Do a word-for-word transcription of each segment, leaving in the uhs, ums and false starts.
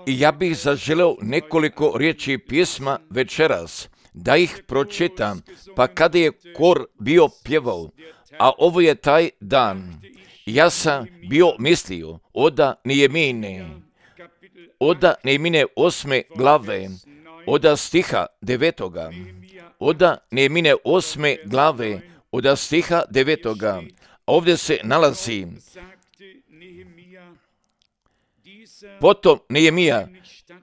I ja bih zaželeo nekoliko riječi pisma večeras, da ih pročitam, pa kada je kor bio pjevao, a ovo je taj dan, ja sam bio mislio, oda Nehemine, oda Nehemine osme glave, oda stiha devetoga, oda Nehemine osme glave, oda stiha devetoga, ovdje se nalazi: potom Nehemija,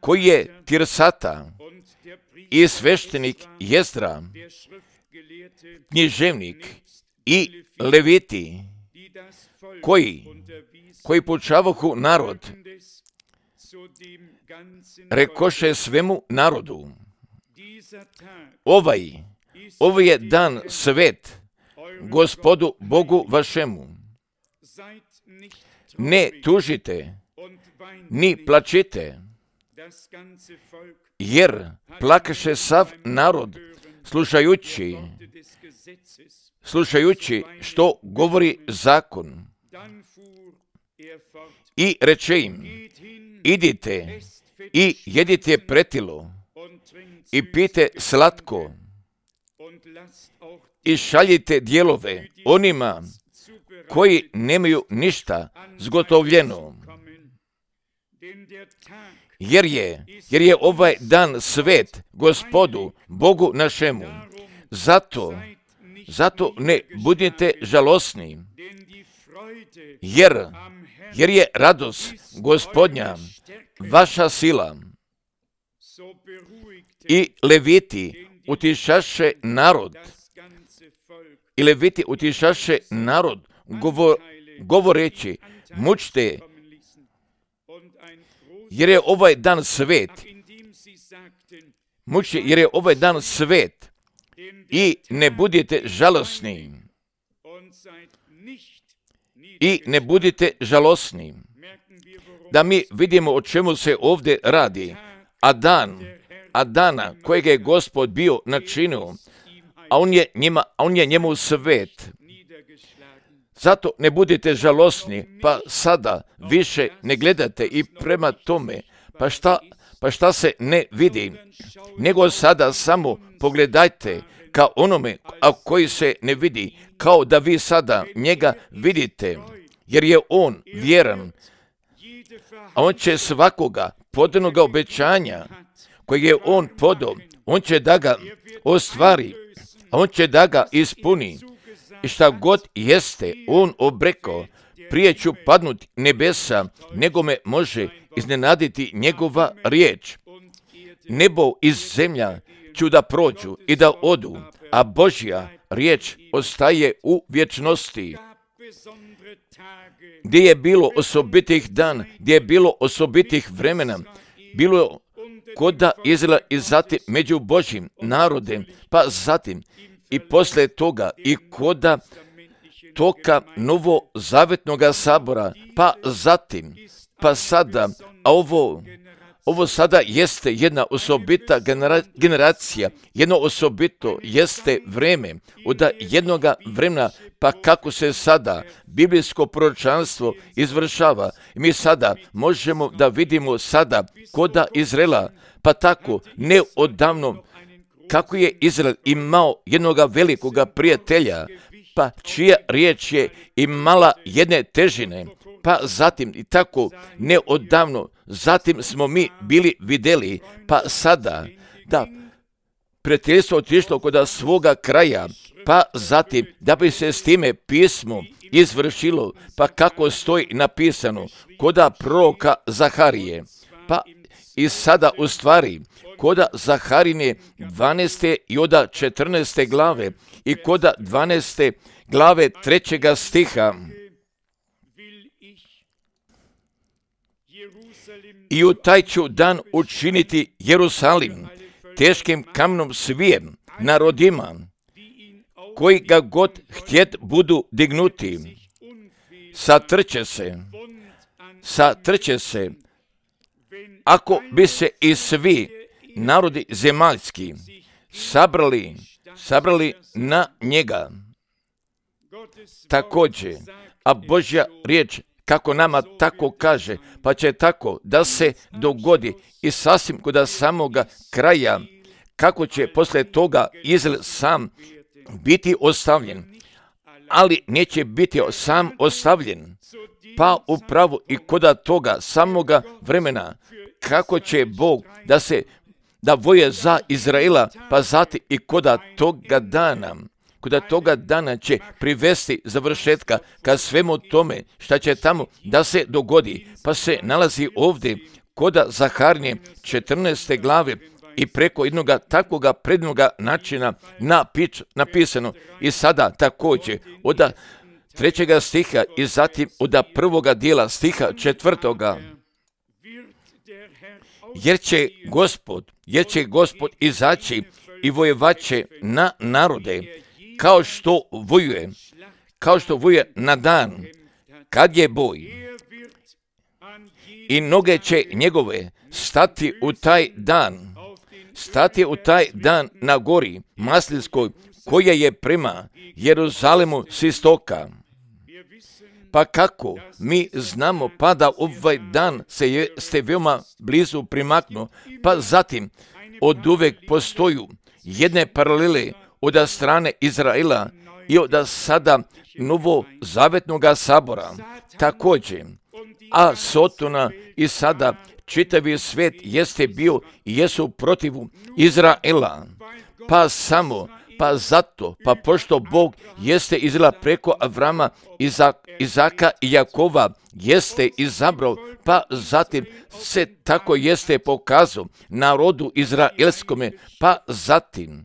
koji je Tirsata, i sveštenik Jezdra, književnik i leviti, koji, koji poučavahu narod, rekoše svemu narodu: ovaj, ovaj je dan svet Gospodu Bogu vašemu. Ne tužite, ni plačite, jer plakaše sav narod, slušajući, slušajući što govori zakon. I reče im: idite i jedite pretilo i pijte slatko i šaljite dijelove onima koji nemaju ništa zgotovljeno. Jer je, jer je ovaj dan svet Gospodu Bogu našemu. Zato, zato ne budite žalosni, jer, jer je radost Gospodnja vaša sila. I leviti utišaše narod, i leviti utišaše narod, govor, govoreći: mučte, jer je ovaj dan svet, muči, jer je ovaj dan svet, i ne budite žalosni, i ne budite žalosni. Da mi vidimo o čemu se ovdje radi, a dan, a dana kojeg je Gospod bio načinio, a on je njima, a on je njemu svet. Zato ne budite žalosni, pa sada više ne gledate i prema tome, pa šta, pa šta se ne vidi, nego sada samo pogledajte ka onome, a koji se ne vidi, kao da vi sada njega vidite, jer je on vjeran, a on će svakoga podanoga obećanja kojeg je on podao, on će da ga ostvari, a on će da ga ispuni. I šta god jeste on obreko, prije ću padnuti nebesa, nego me može iznenaditi njegova riječ. Nebo i zemlja ću da prođu i da odu, a Božja riječ ostaje u vječnosti. Gdje je bilo osobitih dan, gdje je bilo osobitih vremena, bilo koda Izraela i zatim među Božjim narodem, pa zatim i poslije toga i koda toka novozavetnoga sabora, pa zatim, pa sada, a ovo, ovo sada jeste jedna osobita genera, generacija, jedno osobito jeste vreme, od jednoga vremena, pa kako se sada biblijsko proročanstvo izvršava. Mi sada možemo da vidimo sada koda Izraela, pa tako neodavno kako je Izrael imao jednoga velikoga prijatelja, pa čija riječ je imala jedne težine, pa zatim i tako neodavno, zatim smo mi bili vidjeli, pa sada da prijateljstvo otišlo kod svoga kraja, pa zatim da bi se s time pismo izvršilo, pa kako stoji napisano koda proroka Zaharije, pa i sada u stvari koda Zaharine dvanaeste i oda četrnaeste glave i koda dvanaeste glave trećega stiha. I u taj ću dan učiniti Jerusalim teškim kamenom svijem narodima, koji ga god htjet budu dignuti. Satrće se, satrće se, ako bi se i svi narodi zemaljski sabrali, sabrali na njega. Također, a Božja riječ kako nama tako kaže, pa će tako da se dogodi i sasvim kod samoga kraja, kako će posle toga Izrael sam biti ostavljen, ali neće biti sam ostavljen, pa upravo i kod toga samoga vremena, kako će Bog da se da voje za Izraela, pa zatim i kod toga dana, kod toga dana će privesti završetka ka svemu tome šta će tamo da se dogodi, pa se nalazi ovdje kod Zaharnje četrnaeste glave i preko jednog takvoga prednoga načina napič, napisano i sada također od trećega stiha i zatim od prvoga dijela stiha četvrtoga. Jer će Gospod, jer će Gospod izaći i vojevaće na narode, kao što vojuje, kao što vojuje na dan, kad je boj. I noge će njegove stati u taj dan, stati u taj dan na gori Maslinskoj, koja je prema Jeruzalemu s istoka. Pa kako mi znamo pa da ovaj dan se je, ste veoma blizu primaknu, pa zatim od uvek postoju jedne paralele od strane Izraela i od sada novozavetnog sabora također, a Sotona i sada čitavi svijet jeste bio i jesu protivu Izraela, pa samo Pa zato, pa pošto Bog jeste Izraela preko Avrama, Izaka i Jakova jeste izabrao, pa zatim se tako jeste pokazao narodu izraelskome, pa zatim,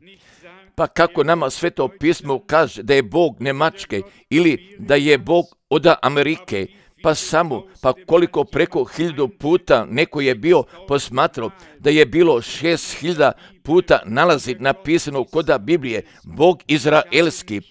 pa kako nama Sveto pismo kaže da je Bog Nemačke ili da je Bog od Amerike, pa samo, pa koliko preko hiljadu puta neko je bio posmatrao da je bilo šest hiljada puta nalazi napisano kod Biblije Bog izraelski,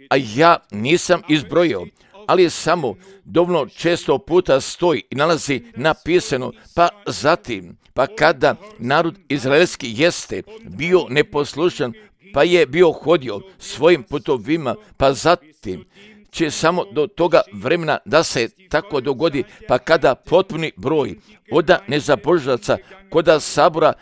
a ja nisam izbrojio, ali samo dovoljno često puta stoji i nalazi napisano, pa zatim, pa kada narod izraelski jeste bio neposlušan, pa je bio hodio svojim putovima, pa zatim će samo do toga vremena da se tako dogodi, pa kada potpuni broj od nezabožaca kod sabora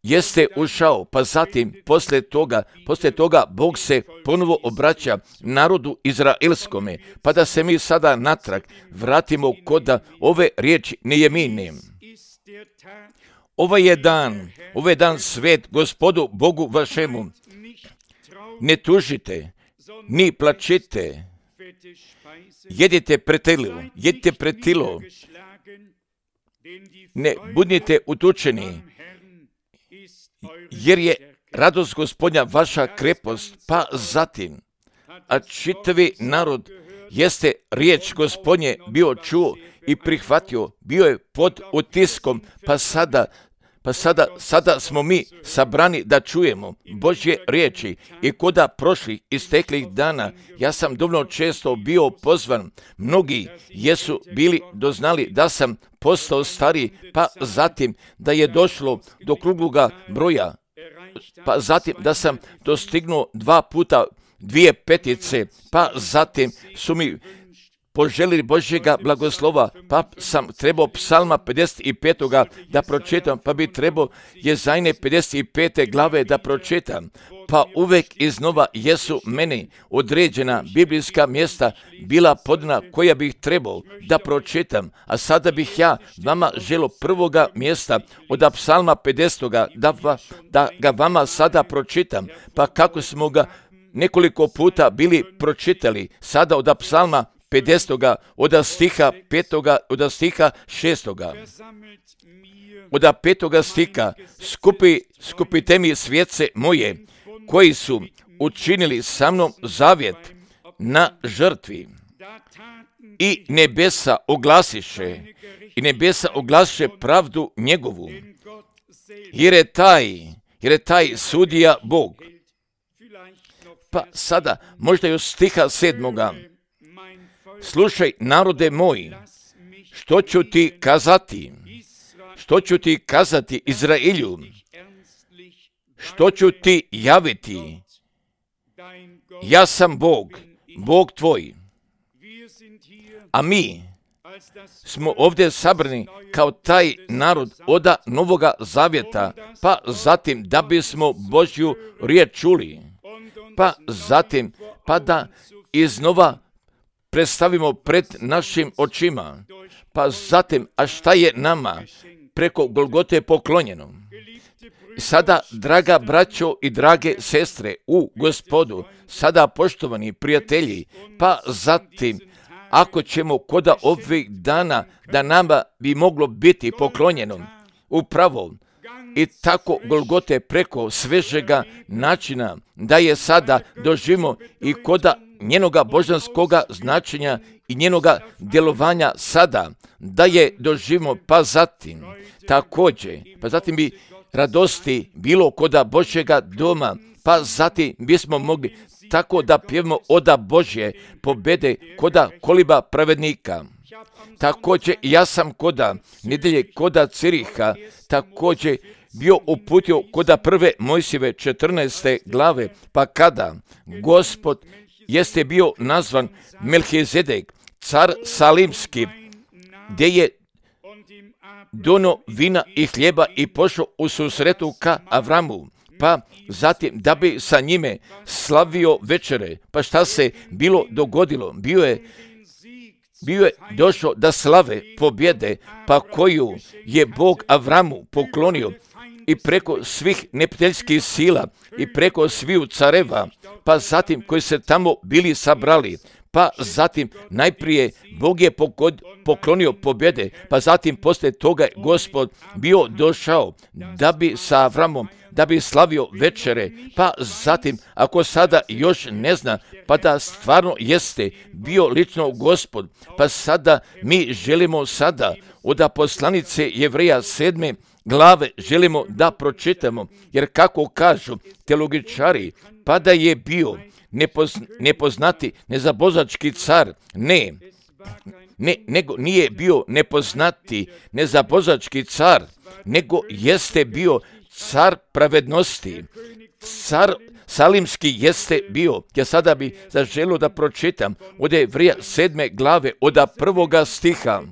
jeste ušao, pa zatim posle toga, posle toga Bog se ponovo obraća narodu izraelskome, pa da se mi sada natrag vratimo kod ove riječi Nejemine. Ovaj je dan, ovaj je dan svet Gospodu Bogu vašemu. Ne tužite, ni plačite, jedite pretilo, jedite pretilo, ne budite utučeni, jer je radost Gospodnja vaša krepost, pa zatim, a čitavi narod jeste riječ Gospodnje bio čuo i prihvatio, bio je pod utiskom, pa sada, pa sada, sada smo mi sabrani da čujemo Božje riječi i koda prošlih isteklih dana, ja sam dovoljno često bio pozvan, mnogi jesu bili doznali da sam postao stariji, pa zatim da je došlo do krugluga broja, pa zatim da sam dostignuo dva puta dvije petice, pa zatim su mi poželili Božjega blagoslova, pa sam trebao psalma pedeset pet da pročitam, pa bi trebao Jezajne pedeset pete glave da pročitam, pa uvek iznova jesu meni određena biblijska mjesta bila podna koja bih trebao da pročitam, a sada bih ja vama želo prvoga mjesta od psalma pedeset da, da ga vama sada pročitam, pa kako smo ga nekoliko puta bili pročitali, sada od psalma pedeset od stiha petoga, od stiha šestoga. Od petoga stiha, skupi, skupite mi svjetce moje, koji su učinili sa mnom zavjet na žrtvi. I nebesa oglasiše, i nebesa oglasiše pravdu njegovu, jer je taj, jer je taj sudija Bog. Pa sada, možda još stiha sedmoga. Slušaj, narode moji, što ću ti kazati? Što ću ti kazati Izraelju? Što ću ti javiti? Ja sam Bog, Bog tvoj. A mi, smo ovdje sabrani kao taj narod oda Novoga Zavjeta, pa zatim da bismo Božju riječ čuli, pa zatim pa da iznova predstavimo pred našim očima, pa zatim, a šta je nama preko Golgote poklonjeno. Sada, draga braćo i drage sestre u Gospodu, sada poštovani prijatelji, pa zatim, ako ćemo koda ovih dana da nama bi moglo biti poklonjeno upravo i tako Golgote preko svežega načina, da je sada doživimo i koda njenoga božanskoga značenja i njenoga djelovanja sada, da je doživimo, pa zatim također, pa zatim bi radosti bilo koda Božjega doma, pa zatim bismo mogli tako da pjevamo oda Božje pobjede koda koliba pravednika. Također ja sam koda nedelje koda Ciriha također bio uputio koda prve Mojsijeve četrnaeste glave, pa kada Gospod jeste bio nazvan Melhizedek, car Salimski, gdje je dono vina i hljeba i pošao u susretu ka Avramu, pa zatim da bi sa njime slavio večere. Pa šta se bilo dogodilo? Bio je, bio je došao da slave pobjede, pa koju je Bog Avramu poklonio i preko svih neprijateljskih sila i preko sviju careva, pa zatim koji se tamo bili sabrali, pa zatim najprije Bog je poklonio pobjede, pa zatim poslije toga je Gospod bio došao da bi sa Avramom, da bi slavio večere, pa zatim ako sada još ne zna, pa da stvarno jeste bio lično Gospod, pa sada mi želimo sada od poslanice Jevreja sedme glave želimo da pročitamo, jer kako kažu teologičari, pa da je bio Nepoz, nepoznati nezabozački car, ne, ne, nego nije bio nepoznati nezabozački car, nego jeste bio car pravednosti, car Salimski jeste bio. Ja sada bi zaželio da pročitam od Jevreja sedme glave, od prvoga stiha,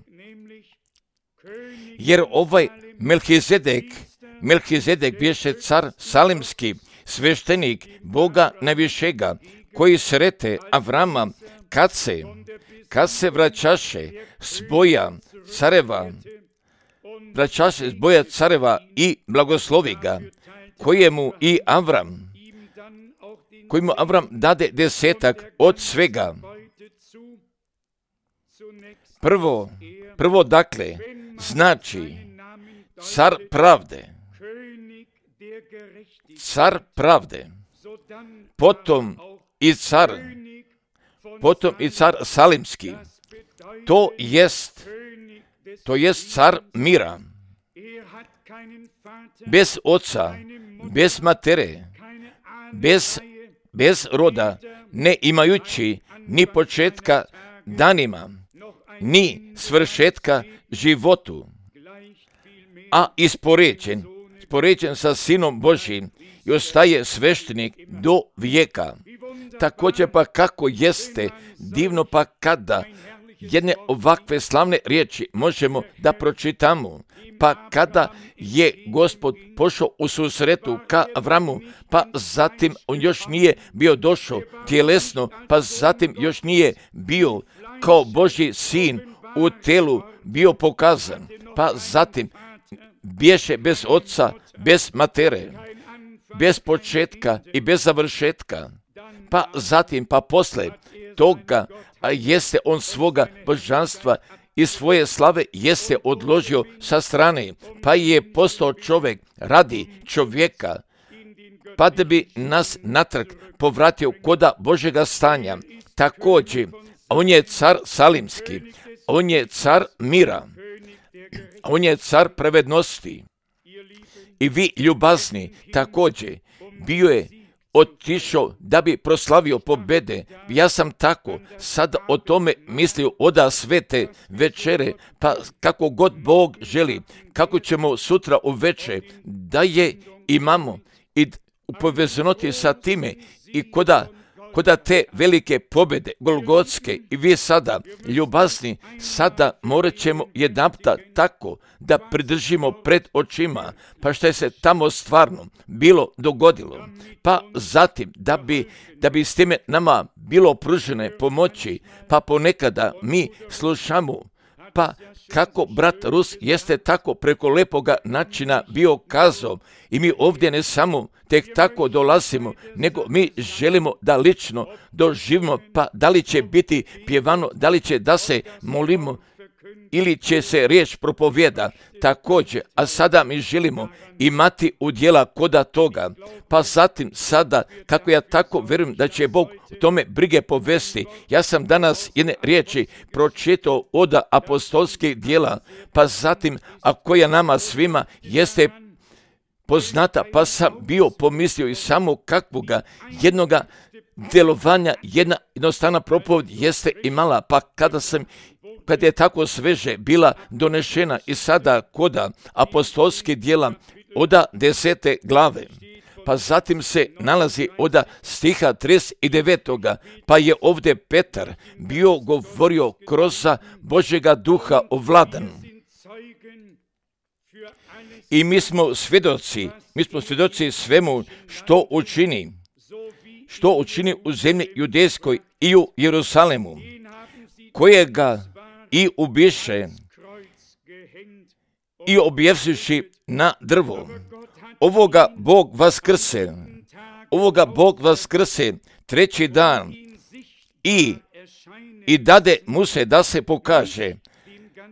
jer ovaj Melhizedek, Melhizedek bješe car Salimski, sveštenik Boga najvišega, koji srete Avrama kad se, kad se vraćaše s boja careva, vraćaše s boja careva i blagoslovi ga, kojemu i Avram, kojemu Avram dade desetak od svega. Prvo, prvo dakle, znači car pravde, car pravde, potom i car, potom i car Salimski, to jest, to jest car mira, bez oca, bez matere, bez, bez roda, ne imajući ni početka danima, ni svršetka životu, a ispoređen, ispoređen sa Sinom Božjim i ostaje sveštenik do vijeka. Također pa kako jeste divno pa kada jedne ovakve slavne riječi možemo da pročitamo, pa kada je Gospod pošao u susretu ka Avramu, pa zatim on još nije bio došao tjelesno, pa zatim još nije bio kao Božji sin u telu bio pokazan, pa zatim bješe bez oca, bez matere, bez početka i bez završetka, pa zatim pa posle toga a jeste on svoga božanstva i svoje slave jeste odložio sa strane, pa je postao čovjek radi čovjeka, pa da bi nas natrag povratio koda Božjega stanja. Također, on je car Salimski, on je car mira, on je car pravednosti. I vi ljubazni također bio je otišao da bi proslavio pobjede. Ja sam tako sad o tome mislio oda svete večere, pa kako god Bog želi, kako ćemo sutra uveče da je imamo i u povezanoti sa time i koda kod te velike pobjede, Golgotske, i vi sada, ljubazni, sada morat ćemo jednapta tako da pridržimo pred očima, pa što je se tamo stvarno bilo dogodilo, pa zatim da bi, da bi s time nama bilo pružene pomoći, pa ponekada mi slušamo, pa kako brat Rus jeste tako preko lepoga načina bio kazao i mi ovdje ne samo tek tako dolazimo, nego mi želimo da lično doživimo, pa da li će biti pjevano, da li će da se molimo ili će se riječ propovjeda također, a sada mi želimo imati udjela koda toga, pa zatim sada, kako ja tako vjerujem da će Bog u tome brige povesti, ja sam danas jedne riječi pročitao od apostolskih dijela, pa zatim, a koja nama svima jeste poznata, pa sam bio pomislio i samo kakvoga jednoga djelovanja, jedna jednostavna propovjed jeste imala, pa kada sam kad je tako sveže bila donešena i sada koda apostolskih dijela oda desete glave, pa zatim se nalazi oda stiha trideset devetog pa je ovdje Petar bio govorio kroz Božjega duha ovladan. I mi smo svjedoci, mi smo svjedoci svemu što učini, što učini u zemlji judejskoj i u Jerusalemu, kojega i ubiše i objevšivši na drvo. Ovoga Bog vaskrse, ovoga Bog vaskrse treći dan i, i dade mu se da se pokaže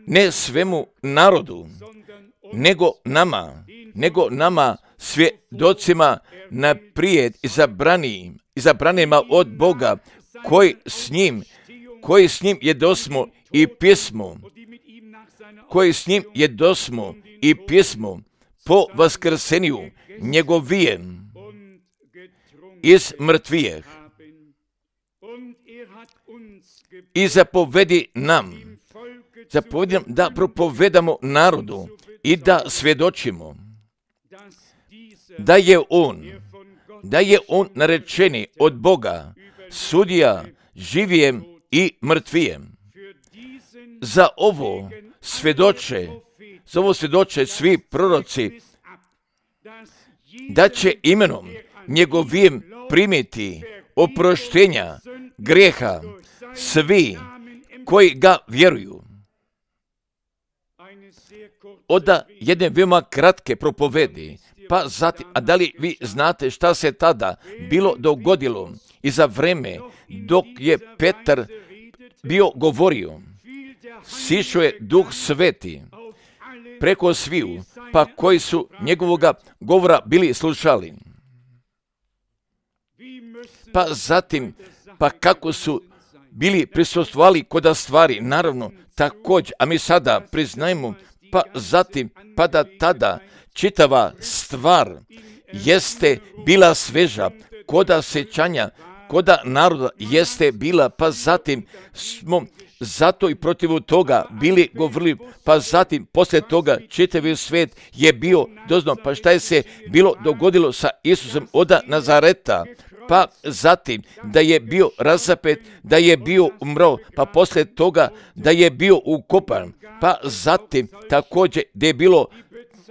ne svemu narodu, nego nama, nego nama svjedocima naprijed izabranim, izabranima od Boga, koji s njim, koji s njim jedosmo i pismo, koji s njim jedosmo i pismo po vaskrsenju njegovijem iz mrtvijeh. I zapovedi nam, zapovedi nam da propovedamo narodu i da svjedočimo da je on, da je on narečeni od Boga, sudija živijem i mrtvijem. Za ovo svjedoče, za ovo svjedoče svi proroci, da će imenom njegovim primiti oproštenja grijeha svi koji ga vjeruju. Oda jedne veoma kratke propovedi, pa zatim, a da li vi znate šta se tada bilo dogodilo i za vreme dok je Petar bio govorio, sišao je Duh Sveti preko sviju, pa koji su njegovoga govora bili slušali. Pa zatim, pa kako su bili prisustvovali koda stvari, naravno, također, a mi sada priznajemo, pa zatim, pa da tada čitava stvar jeste bila sveža, koda sećanja, koda naroda jeste bila, pa zatim smo zato i protiv toga bili govorili, pa zatim poslije toga čitavi svijet je bio doznao, pa šta je se bilo dogodilo sa Isusom od Nazareta, pa zatim da je bio razapet, da je bio umro, pa poslije toga da je bio ukopan, pa zatim također da je bilo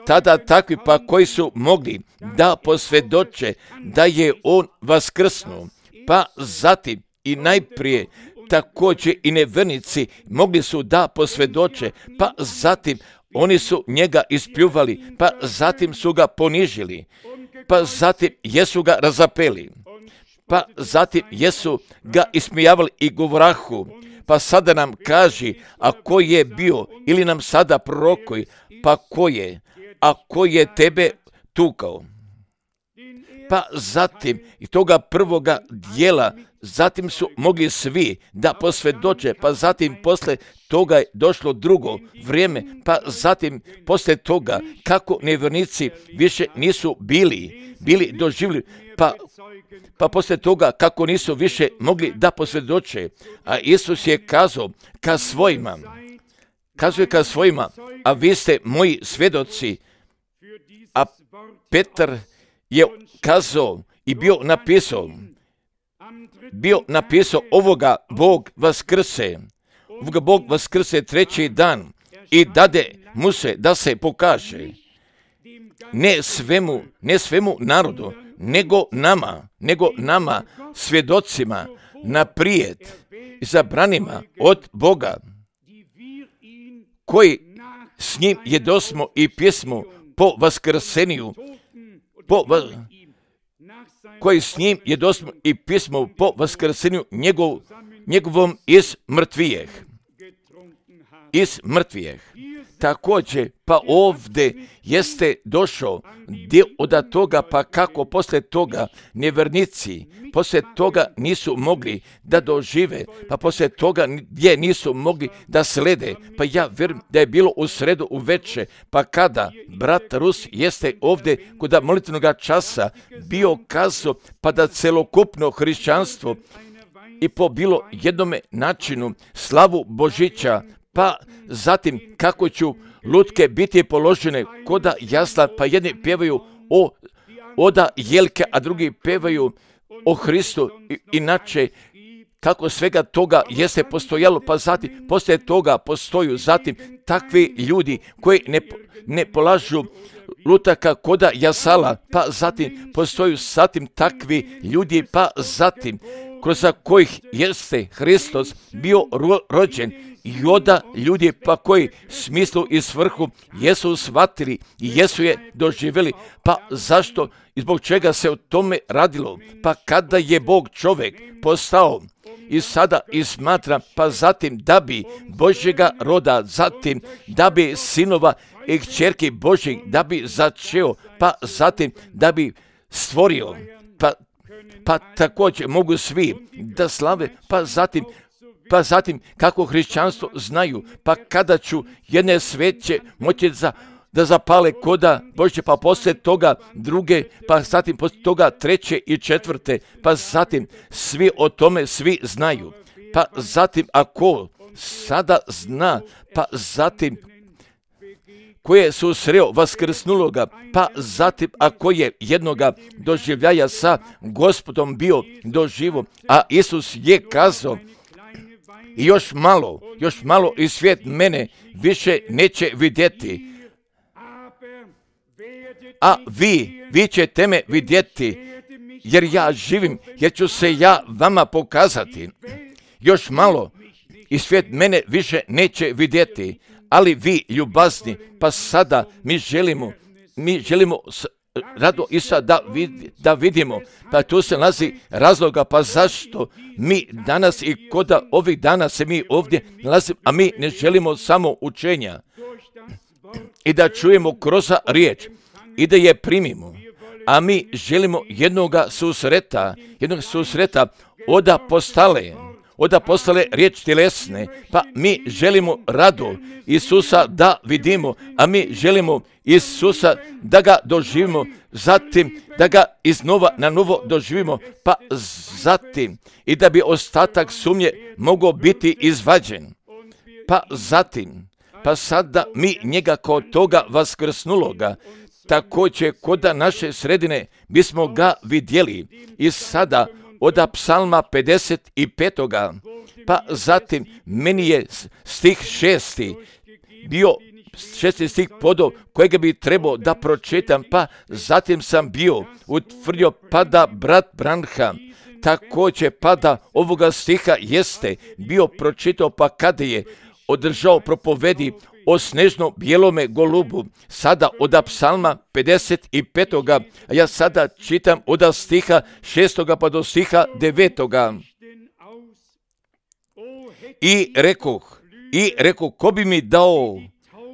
tada takvi pa koji su mogli da posvjedoče da je on vaskrsnuo, pa zatim i najprije također i nevernici mogli su da posvjedoče, pa zatim oni su njega ispljuvali, pa zatim su ga ponižili, pa zatim jesu ga razapeli, pa zatim jesu ga ismijavali i govorahu, pa sada nam kaži, a ko je bio, ili nam sada prorokoj, pa ko je, a ko je tebe tukao. Pa zatim i toga prvoga dijela, zatim su mogli svi da posvjedoče, pa zatim posle toga je došlo drugo vrijeme, pa zatim posle toga kako nevjernici više nisu bili, bili doživjeli, pa, pa posle toga kako nisu više mogli da posvjedoče, a Isus je kazao ka svojima, kazuje ka svojima, a vi ste moji svjedoci, a Petar je kazao i bio napisao bio napisao ovoga Bog vaskrse, ovoga Bog vaskrse treći dan i dade mu se da se pokaže. Ne svemu, ne svemu narodu, nego nama, nego nama, svjedocima, naprijed, izabranima od Boga, koji s njim jedosmo i pjesmo po vaskrseniju, po, koji s njim jedosmo i pjesmo po vaskrsenju njegov, njegovom iz mrtvijeh. Iz mrtvijeh. Također, pa ovdje jeste došao dio od toga, pa kako poslije toga nevjernici, poslije toga nisu mogli da dožive, pa poslije toga gdje nisu mogli da slede, pa ja vjerujem da je bilo u sredu u veče, pa kada brat Rus jeste ovdje kod molitvenog časa bio kazao, pa da celokupno hrišćanstvo i po bilo jednome načinu slavu Božića, pa zatim kako ću lutke biti položene koda jasla, pa jedni pjevaju o oda jelke, a drugi pjevaju o Hristu. I, inače, kako svega toga jeste postojalo, pa zatim poslije toga postoju zatim takvi ljudi koji ne, ne polažu lutaka koda jasala, pa zatim postoju zatim takvi ljudi, pa zatim kroz kojih jeste Hristos bio ro, rođen, i onda ljudi pa koji smislu i svrhu jesu shvatili i jesu je doživjeli. Pa zašto i zbog čega se o tome radilo? Pa kada je Bog čovjek postao i sada i smatra, pa zatim da bi Božjega roda, zatim da bi sinova i kćerki Božjih, da bi začeo, pa zatim da bi stvorio, pa, pa također mogu svi da slave, pa zatim Pa zatim, kako hrišćanstvo znaju, pa kada ću jedne sveće moći za, da zapale koda Božje, pa poslije toga druge, pa zatim poslije toga treće i četvrte, pa zatim svi o tome svi znaju. Pa zatim, ako sada zna, pa zatim koje su sreo vaskrsnuloga, pa zatim ako je jednoga doživljaja sa Gospodom bio doživo, a Isus je kazao, i još malo, još malo i svijet mene više neće vidjeti. A vi, vi ćete me vidjeti, jer ja živim, jer ću se ja vama pokazati. Još malo i svijet mene više neće vidjeti, ali vi ljubazni, pa sada mi želimo, mi želimo rado i sad da, vid, da vidimo, pa tu se nalazi razloga, pa zašto mi danas i koda ovih dana se mi ovdje nalazimo, a mi ne želimo samo učenja i da čujemo kroz riječ i da je primimo, a mi želimo jednoga susreta, jednog susreta oda postale, oda postale riječ tjelesne, pa mi želimo rado Isusa da vidimo, a mi želimo Isusa da ga doživimo, zatim da ga iznova na novo doživimo, pa zatim i da bi ostatak sumnje mogao biti izvađen. Pa zatim, pa sada mi njega kao toga vaskrsnuloga, također koda naše sredine bismo ga vidjeli i sada od psalma pedeset pet. Pa zatim meni je stih šesti bio šesti stih podao kojega bi trebao da pročitam, pa zatim sam bio utvrdio pa da brat Branham također pa da ovoga stiha jeste bio pročitao, pa kada je održao propovedi o snežno bijelome golubu, sada od psalma pedeset pet. A ja sada čitam od stiha šestoga pa do stiha devetoga. I rekoh, i rekoh, ko bi mi dao,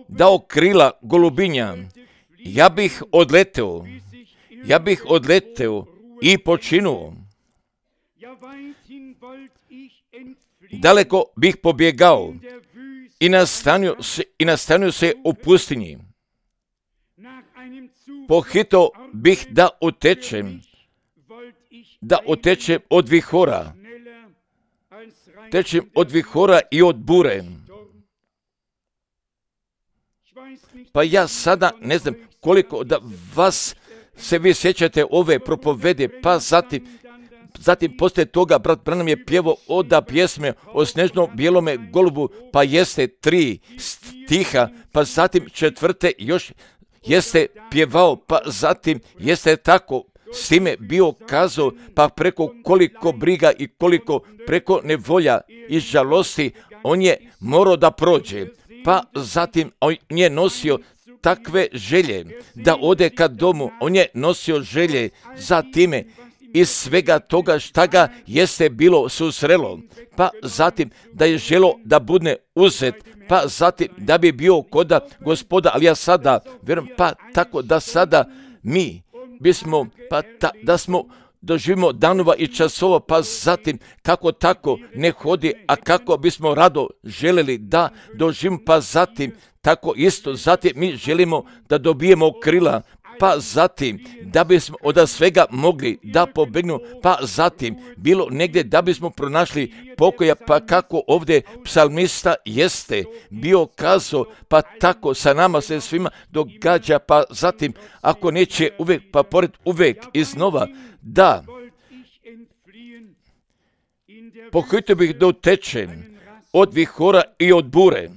dao krila golubinja, ja bih odleteo, ja bih odleteo i počinuo. Daleko bih pobjegao i nastanio se, i nastanio se u pustinji. Pohito bih da utečem, da utečem od vihora, tečem od vihora i od bure. Pa ja sada ne znam koliko da vas se vi sjećate ove propovede, pa zatim zatim poslije toga brat Branham je pjevao oda pjesme o snežnom bijelome golubu, pa jeste tri stiha, pa zatim četvrte još jeste pjevao, pa zatim jeste tako s time bio kazao, pa preko koliko briga i koliko preko nevolja i žalosti on je morao da prođe, pa zatim on je nosio takve želje da ode ka domu, on je nosio želje za time iz svega toga šta ga jeste bilo susrelo, pa zatim da je želo da bude uzet, pa zatim da bi bio koda Gospoda, ali ja sada vjerujem, pa tako da sada mi bismo, pa ta, da smo doživimo danova i časova, pa zatim kako tako ne hodi, a kako bismo rado želeli da doživimo, pa zatim tako isto, zatim mi želimo da dobijemo krila, pa zatim da bismo od svega mogli da pobegnu, pa zatim bilo negdje da bismo pronašli pokoja, pa kako ovdje psalmista jeste bio kazao, pa tako sa nama se svima događa, pa zatim ako neće uvijek, pa pored uvijek iznova, da pohitio bih da utečem od vihora i od bure.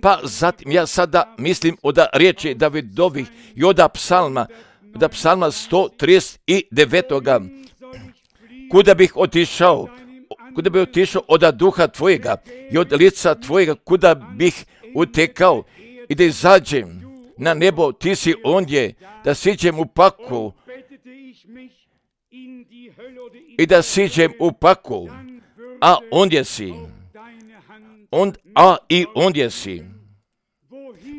Pa zatim ja sada mislim od riječi Davidovih i od psalma, od psalma sto trideset devet. Kuda bih otišao, kuda bih otišao od duha tvojega i od lica tvojega, kuda bih utekao i da izađem na nebo, ti si ondje, da siđem u paklu i da siđem u paklu, a ondje si. On, a i ondje si.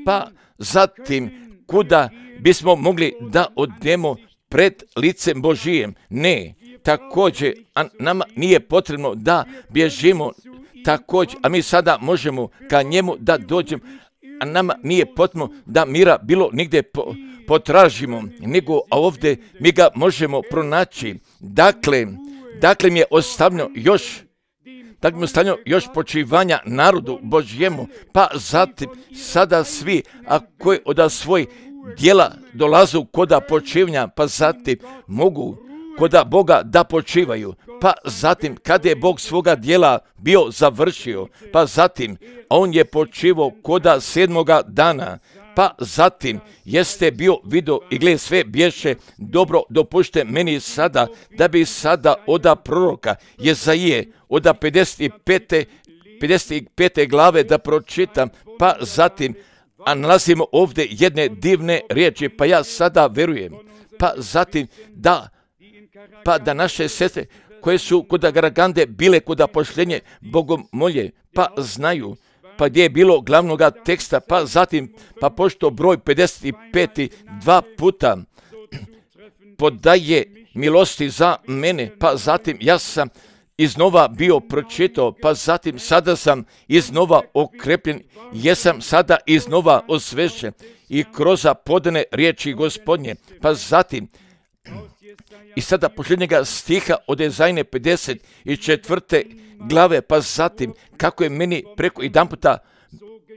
Pa zatim, kuda bismo mogli da odemo pred licem Božijem? Ne, također, a nama nije potrebno da bježimo također, a mi sada možemo ka njemu da dođemo, a nama nije potrebno da mira bilo nigdje po, potražimo, nego a ovdje mi ga možemo pronaći. Dakle, dakle mi je ostavljeno još Tako mi ostavljeno još počivanja narodu Božjemu, pa zatim sada svi, a koji od svojih djela dolazu koda počivanja, pa zatim mogu koda Boga da počivaju, pa zatim kada je Bog svoga djela bio završio, pa zatim on je počivao koda sedmoga dana, pa zatim jeste bio video i gled sve bješe dobro, dopušte meni sada da bi sada oda proroka Jezaije oda pedeset pete glave da pročitam, pa zatim a nalazimo ovdje jedne divne riječi, pa ja sada verujem, pa zatim da pa da naše sestre koje su kod Garagande bile kod pošljenje bogomolje, pa znaju pa gdje je bilo glavnoga teksta, pa zatim, pa pošto broj pedeset pet dva puta podaje milosti za mene, pa zatim ja sam iznova bio pročitao, pa zatim sada sam iznova okrepljen, jesam sada iznova osvežen i kroz podane riječi Gospodnje, pa zatim i sada posljednjega stiha od Jezajne pedeset četvrte glave, pa zatim kako je meni preko jedan puta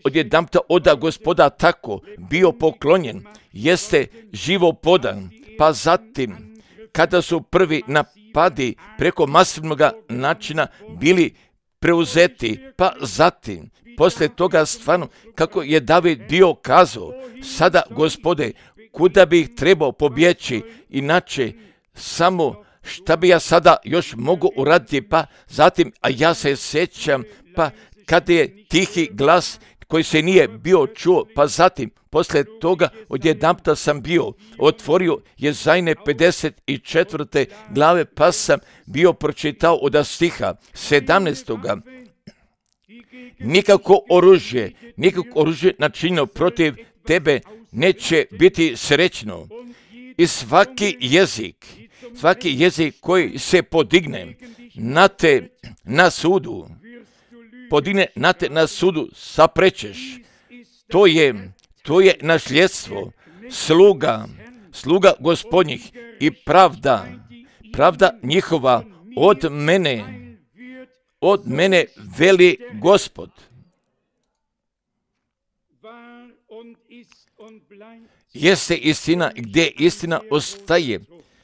od jedan puta oda Gospoda tako bio poklonjen, jeste živo podan, pa zatim kada su prvi napadi preko masivnog načina bili preuzeti, pa zatim poslije toga stvarno kako je David bio kazao, sada Gospode, kuda bih trebao pobjeći, inače samo šta bi ja sada još mogu uraditi, pa zatim, a ja se sjećam, pa kada je tihi glas koji se nije bio čuo, pa zatim, poslije toga odjedanputa sam bio, otvorio Jezajne pedeset četvrte glave, pa sam bio pročitao od stiha sedamnaestoga. Nikako oružje, nikako oružje načinjeno protiv tebe neće biti srećno. I svaki jezik, svaki jezik koji se podigne na te na sudu, podigne na te na sudu, saprečeš. To je, to je nasljedstvo sluga, sluga Gospodnjih i pravda, pravda njihova od mene, od mene veli Gospod. Jeste istina gdje istina ostaje,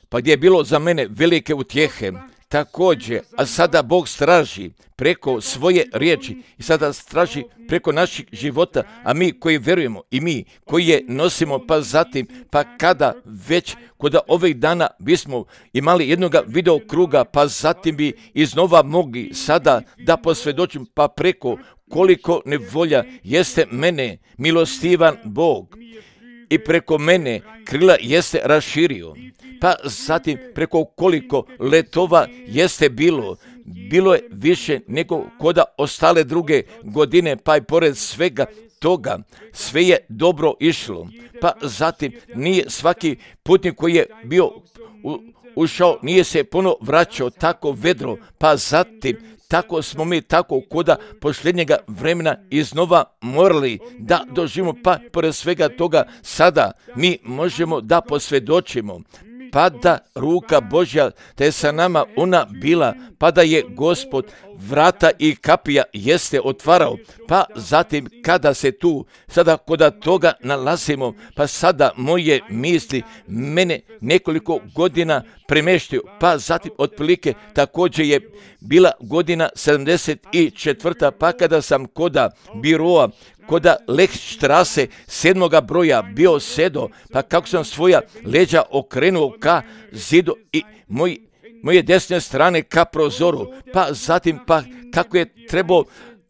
pa gdje je bilo za mene velike utjehe, također, a sada Bog straži preko svoje riječi i sada straži preko naših života, a mi koji vjerujemo i mi koji je nosimo, pa zatim, pa kada već kod ovih dana bismo imali jednoga video kruga, pa zatim bi iznova mogli sada da posvjedočim, pa preko koliko nevolja jeste mene milostivan Bog i preko mene krila jeste raširio, pa zatim preko koliko letova jeste bilo, bilo je više nego koda ostale druge godine, pa i pored svega toga sve je dobro išlo, pa zatim nije svaki putnik koji je bio u, ušao, nije se puno vraćao tako vedro, pa zatim tako smo mi tako koda posljednjega vremena iznova morali da doživimo, pa pored svega toga sada mi možemo da posvjedočimo, pa da ruka Božja da je sa nama ona bila, pa da je Gospod vrata i kapija jeste otvarao, pa zatim kada se tu sada koda toga nalazimo, pa sada moje misli mene nekoliko godina premještaju, pa zatim otprilike također je bila godina sedamdeset četvrta pa kada sam koda biroa koda Lechstrasse sedmoga broja bio sedo, pa kako sam svoja leđa okrenuo ka zidu i moj, moje desne strane ka prozoru, pa zatim pa kako je trebao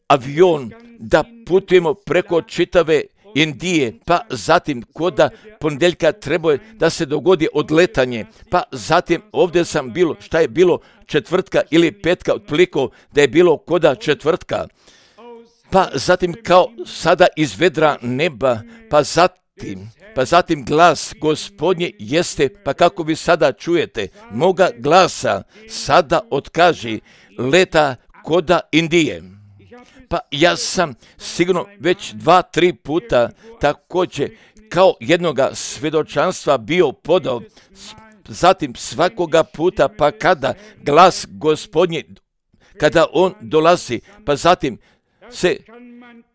avion da putujemo preko čitave Indije, pa zatim koda ponedjeljka trebao je da se dogodi odletanje, pa zatim ovdje sam bilo, šta je bilo četvrtka ili petka, otpliko da je bilo koda četvrtka, pa zatim kao sada iz vedra neba, pa zatim, pa zatim glas Gospodnje jeste, pa kako vi sada čujete moga glasa, sada otkaži leta koda Indije. Pa ja sam sigurno već dva, tri puta također kao jednoga svjedočanstva bio podao, zatim svakoga puta pa kada glas Gospodnji, kada on dolazi, pa zatim se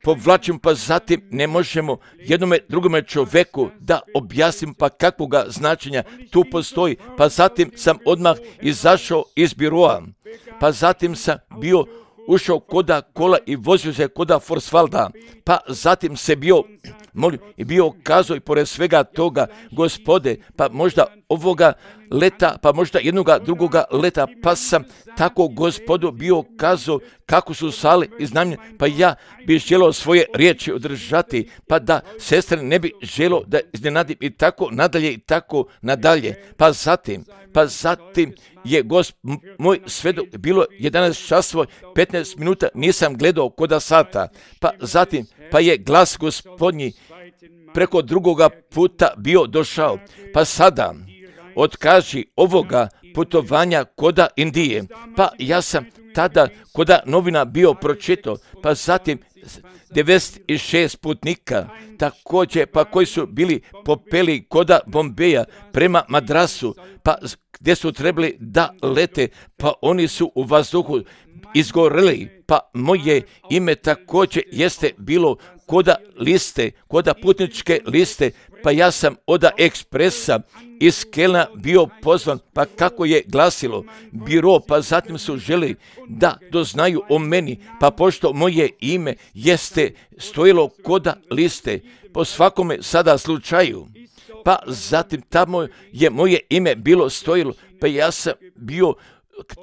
povlačim, pa zatim ne možemo jednome drugome čovjeku da objasnim pa kakvoga značenja tu postoji, pa zatim sam odmah izašao iz biroa, pa zatim sam bio ušao koda kola i vozio se koda Forsvalda, pa zatim se bio molio i bio kazao i pored svega toga, Gospode, pa možda ovoga leta, pa možda jednoga drugoga leta, pa sam tako Gospodu bio kazao kako su sale iznajmljene, pa ja bih želio svoje riječi održati, pa da sestre ne bi želio da iznenadim i tako nadalje i tako nadalje, pa zatim, pa zatim je Gosp, moj svedok, bilo jedanaest časova petnaest minuta, nisam gledao koda sata, pa zatim, pa je glas Gospodnji preko drugoga puta bio došao, pa sada otkaži ovoga putovanja koda Indije, pa ja sam tada koda novina bio pročitao, pa zatim devedeset šest putnika također, pa koji su bili popeli koda Bombeja prema Madrasu, pa gdje su trebali da lete, pa oni su u vazduhu izgoreli, pa moje ime također jeste bilo koda liste, koda putničke liste, pa ja sam oda ekspresa iz Kelna bio pozvan, pa kako je glasilo biro, pa zatim su želi da doznaju o meni, pa pošto moje ime jeste stojilo koda liste, po svakome sada slučaju, pa zatim tamo je moje ime bilo stojilo, pa ja sam bio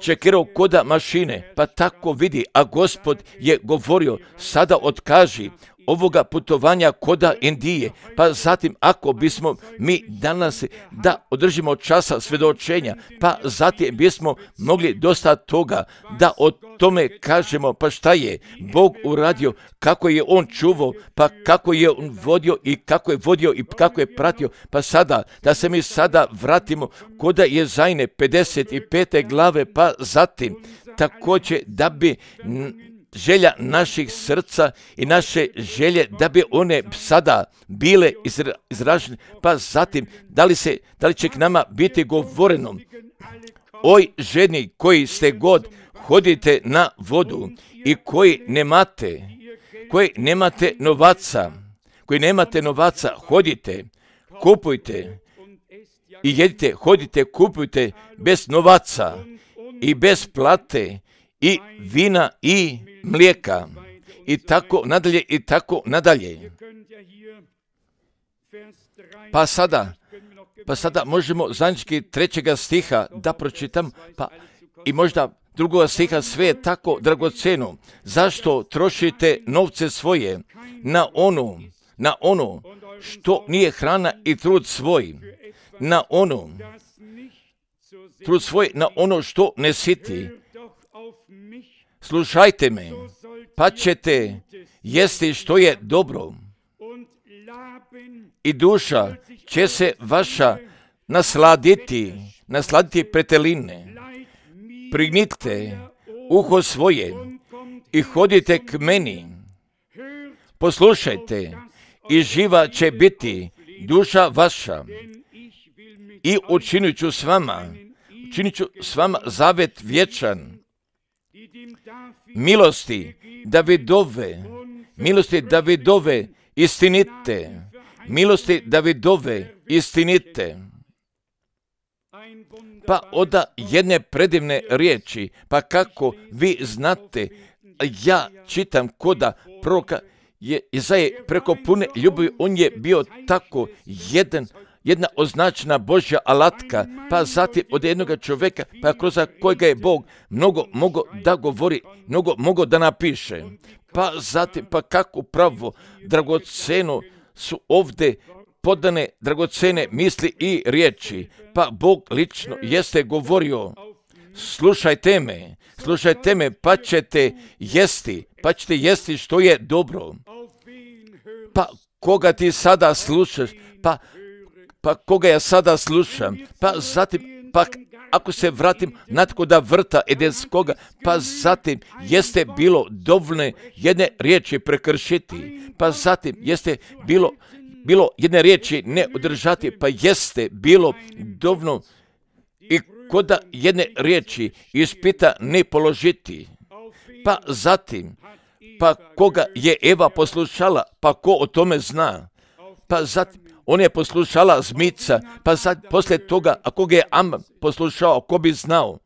čekirao koda mašine, pa tako vidi, a Gospod je govorio, sada otkaži ovoga putovanja koda Indije, pa zatim ako bismo mi danas da održimo časa svjedočenja, pa zatim bismo mogli dosta toga da o tome kažemo, pa šta je Bog uradio, kako je on čuvao, pa kako je on vodio i kako je vodio i kako je pratio, pa sada da se mi sada vratimo koda Jezajne pedeset pete glave, pa zatim također da bi želja naših srca i naše želje da bi one sada bile izražene, pa zatim da li, se, da li će k nama biti govoreno, oj ženi koji ste god, hodite na vodu i koji nemate, koji nemate novaca, koji nemate novaca, hodite, kupujte i jedite, hodite, kupujte bez novaca i bez plate i vina i mlijeka i tako nadalje i tako nadalje. Pa sada, pa sada možemo zajednički trećega stiha da pročitam, pa i možda drugoga stiha, sve je tako dragoceno. Zašto trošite novce svoje na ono, na ono što nije hrana i trud svoj, na ono, trud svoj, na ono što ne siti. Slušajte me, pa ćete jesti što je dobro i duša će se vaša nasladiti, nasladiti preteline. Prignite uho svoje i hodite k meni. Poslušajte i živa će biti duša vaša. I učinit ću s vama, učinit ću s vama zavet vječan. Milosti Davidove, milosti Davidove istinite, milosti Davidove istinite. Pa oda jedne predivne riječi, pa kako vi znate, ja čitam koda proroka je Izaje preko pune ljubavi, on je bio tako jedan, jedna označena Božja alatka, pa zatim od jednog čovjeka, pa kroz kojega je Bog mnogo mogo da govori, mnogo mogo da napiše. Pa zatim, pa kako pravo dragoceno su ovdje podane dragocene misli i riječi, pa Bog lično jeste govorio, slušajte me, slušajte me, pa ćete jesti, pa ćete jesti što je dobro. Pa koga ti sada slušaš, pa, pa koga ja sada slušam, pa zatim, pa ako se vratim natko da vrta edenskoga, pa zatim jeste bilo dovoljne jedne riječi prekršiti, pa zatim jeste bilo bilo jedne riječi ne održati, pa jeste bilo dovoljno i koda jedne riječi ispita ne položiti. Pa zatim, pa koga je Eva poslušala, pa ko o tome zna? Pa zatim, on je poslušala zmica, pa zatim, poslije toga, a koga je Am poslušao, ko bi znao?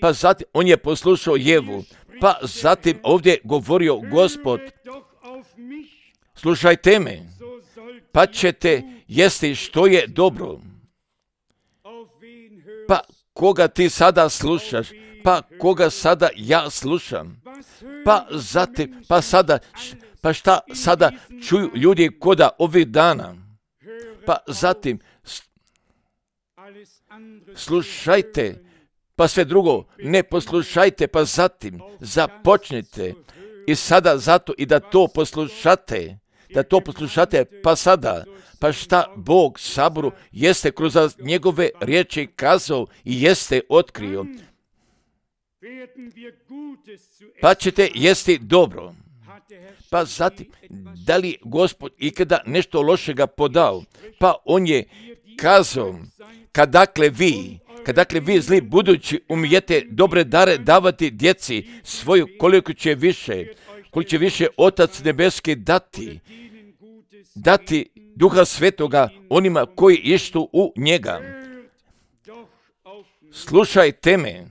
Pa zatim, on je poslušao Jevu, pa zatim ovdje je govorio Gospod, slušajte me, pa ćete jesti što je dobro. Pa koga ti sada slušaš, pa koga sada ja slušam, pa zatim, pa sada, pa šta sada čuju ljudi koda ovih dana, pa zatim, slušajte, pa sve drugo, ne poslušajte, pa zatim započnite i sada zato i da to poslušate, da to poslušate, pa sada, pa šta Bog saboru jeste kroz njegove riječi kazao i jeste otkrio, pa ćete jesti dobro. Pa zatim, da li Gospod ikada nešto lošega podao? Pa on je kazao, kadakle vi, kadakle vi zli budući umijete dobre dare davati djeci svoju, koliko će više, koliko će više Otac nebeski dati, dati Duha Svetoga onima koji ištu u njega. Slušajte me,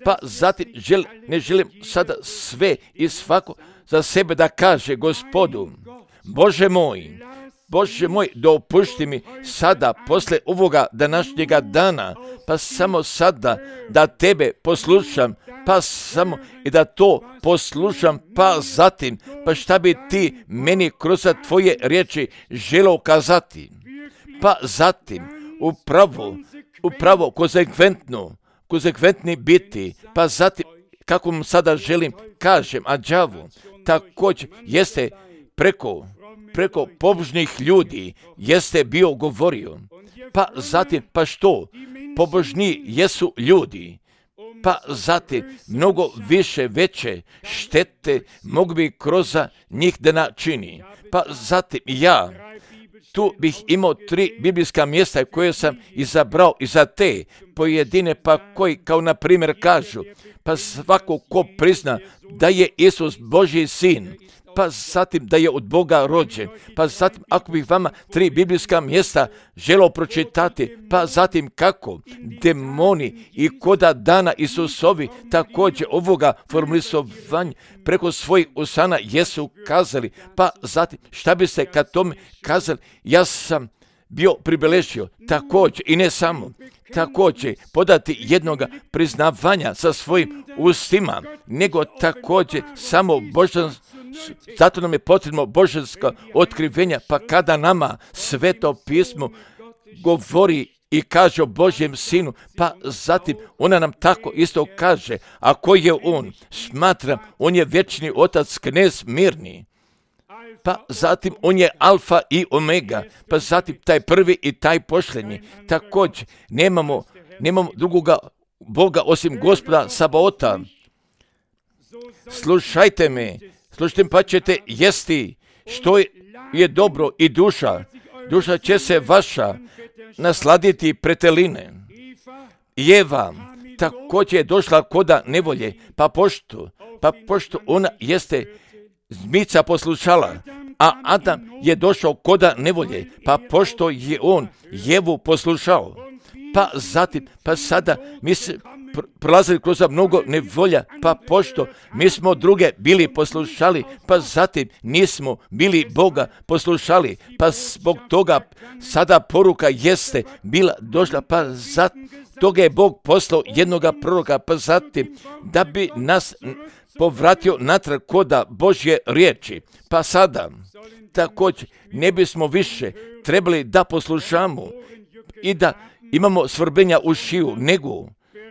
pa zatim žel, ne želim sada sve i svako za sebe da kaže Gospodu, Bože moj, Bože moj, dopušti mi sada, posle ovoga današnjega dana, pa samo sada da tebe poslušam, pa samo i da to poslušam, pa zatim, pa šta bi ti meni kroz tvoje riječi želeo kazati, pa zatim, upravo, upravo konsekventno, konsekventni biti, pa zatim, kako mu sada želim, kažem, a đavo, također jeste preko, preko pobožnih ljudi, jeste bio govorio, pa zatim, pa što, pobožni jesu ljudi, pa zatim, mnogo više veće štete mogu bi kroz njih da načini, pa zatim ja, tu bih imao tri biblijska mjesta koje sam izabrao i za te pojedine, pa koji kao na primjer kažu, pa svako ko prizna da je Isus Božji sin, pa zatim da je od Boga rođen, pa zatim ako bih vama tri biblijska mjesta želio pročitati, pa zatim kako demoni i koda dana Isusovi također ovoga formulisovanja preko svojih usana jesu kazali, pa zatim šta bi se kad tome kazali, ja sam bio pribeležio također i ne samo, također podati jednoga priznavanja sa svojim ustima, nego također samo božanstvo. Zato nam je potrebno božansko otkrivenja, pa kada nama Sveto pismo govori i kaže o Božjem sinu, pa zatim ona nam tako isto kaže, a ko je on? Smatram, on je vječni otac, knez mirni. Pa zatim on je alfa i omega, pa zatim taj prvi i taj posljednji. Također nemamo, nemamo drugoga Boga osim Gospoda Sabaota. Slušajte me, slušajte pa ćete jesti što je dobro i duša. Duša će se vaša nasladiti preteline. I Eva također je došla koda nevolje, pa pošto, pa pošto ona jeste zmica poslušala, a Adam je došao koda nevolje, pa pošto je on Jevu poslušao, pa zatim, pa sada mi se prolazili kroz mnogo nevolja, pa pošto mi smo druge bili poslušali, pa zatim nismo bili Boga poslušali, pa zbog toga sada poruka jeste bila došla, pa zatim toga je Bog poslao jednoga proroka, pa zatim da bi nas povratio natrag koda Božje riječi. Pa sada također ne bismo više trebali da poslušamo i da imamo svrbenja u šiju, nego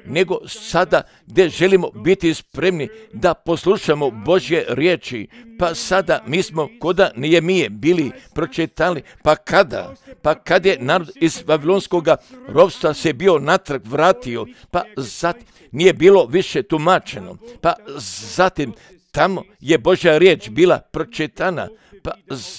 nego sada gdje želimo biti spremni da poslušamo Božje riječi, pa sada mi smo koda Nehemije bili pročitali, pa kada, pa kad je narod iz Vavilonskog ropstva se bio natrag vratio, pa zatim nije bilo više tumačeno, pa zatim tamo je Božja riječ bila pročitana, pa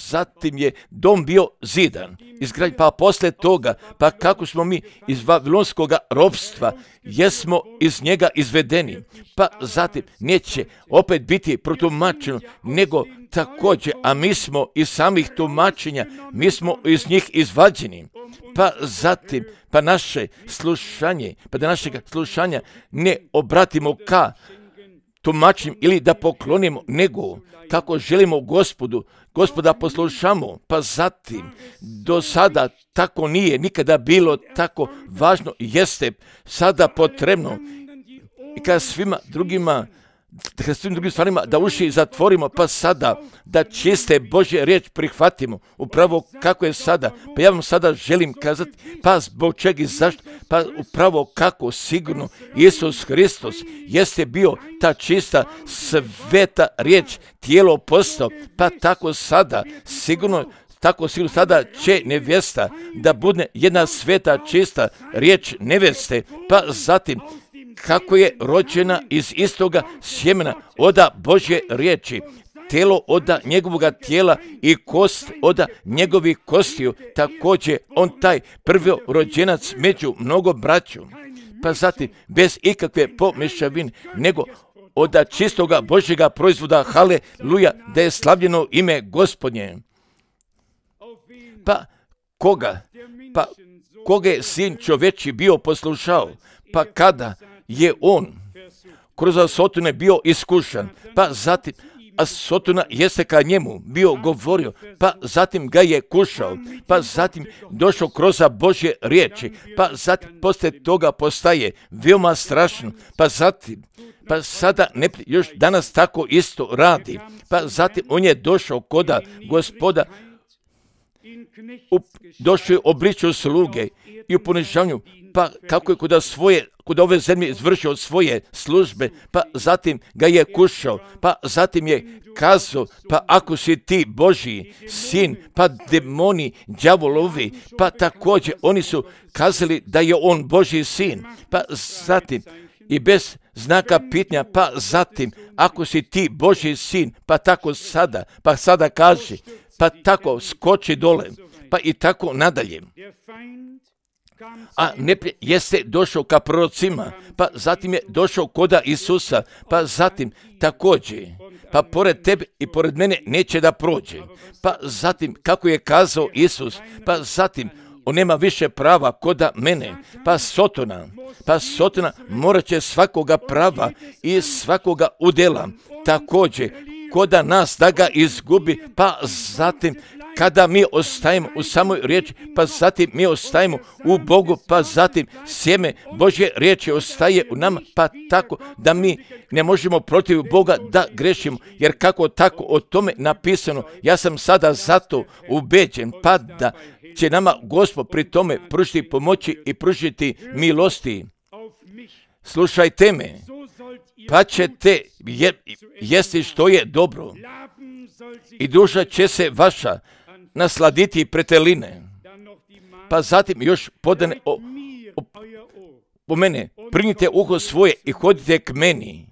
zatim je dom bio zidan, izgrađen, pa poslije toga, pa kako smo mi iz Vavilonskog ropstva, jesmo iz njega izvedeni, pa zatim neće opet biti protumačeno, nego također, a mi smo iz samih tumačenja, mi smo iz njih izvađeni, pa zatim, pa naše slušanje, pa da našeg slušanja ne obratimo ka tumačim ili da poklonimo, nego kako želimo Gospodu, Gospoda poslušamo, pa zatim do sada tako nije nikada bilo tako važno, jeste sada potrebno i kada svima drugima, kada svim drugim stvarima da uši zatvorimo, pa sada da čiste Božje riječ prihvatimo, upravo kako je sada, pa ja vam sada želim kazati, pa zbog čega i zašto, pa upravo kako sigurno Isus Hristos jeste bio ta čista sveta riječ, tijelo postao, pa tako sada sigurno, tako sigurno sada će nevjesta da bude jedna sveta čista riječ nevjeste, pa zatim kako je rođena iz istoga sjemena oda Božje riječi, telo oda njegovoga tijela i kost oda njegovih kostiju, također on taj prvorođenac među mnogo braću, pa zatim bez ikakve pomješavine, nego oda čistoga Božjega proizvoda, haleluja, da je slavljeno ime Gospodnje. Pa koga, pa koga je sin čovječi bio poslušao, pa kada je on kroz Sotone bio iskušan, pa zatim a Sotona jeste ka njemu bio govorio, pa zatim ga je kušao, pa zatim došao kroz Božje riječi, pa zatim poslije toga postaje veoma strašno, pa zatim, pa sada ne, još danas tako isto radi, pa zatim on je došao koda Gospoda, u, došao je u obličju sluge i u ponižavanju, pa kako je kod svoje, kod ove zemlje izvršio svoje službe, pa zatim ga je kušao, pa zatim je kazao, pa ako si ti Božji sin, pa demoni, đavolovi, pa također oni su kazali da je on Božji sin, pa zatim i bez znaka pitanja, pa zatim ako si ti Božji sin, pa tako sada, pa sada kaži, pa tako skoči dole, pa i tako nadalje. A neprijatelj jeste došao ka prorocima, pa zatim je došao koda Isusa, pa zatim također, pa pored tebe i pored mene neće da prođe. Pa zatim, kako je kazao Isus, pa zatim, on nema više prava koda mene, pa Sotona, pa Sotona morat će svakoga prava i svakoga udjela, također, koda nas da ga izgubi, pa zatim, kada mi ostajemo u samoj riječi, pa zatim mi ostajemo u Bogu, pa zatim sjeme Božje riječi ostaje u nama, pa tako da mi ne možemo protiv Boga da grešimo, jer kako tako o tome napisano, ja sam sada zato ubeđen, pa da će nama Gospod pri tome pružiti pomoći i pružiti milosti. Slušajte me, pa ćete je, jesti što je dobro i duša će se vaša nasladiti preteline. Pa zatim još podane o, o, o mene, primite uho svoje i hodite k meni.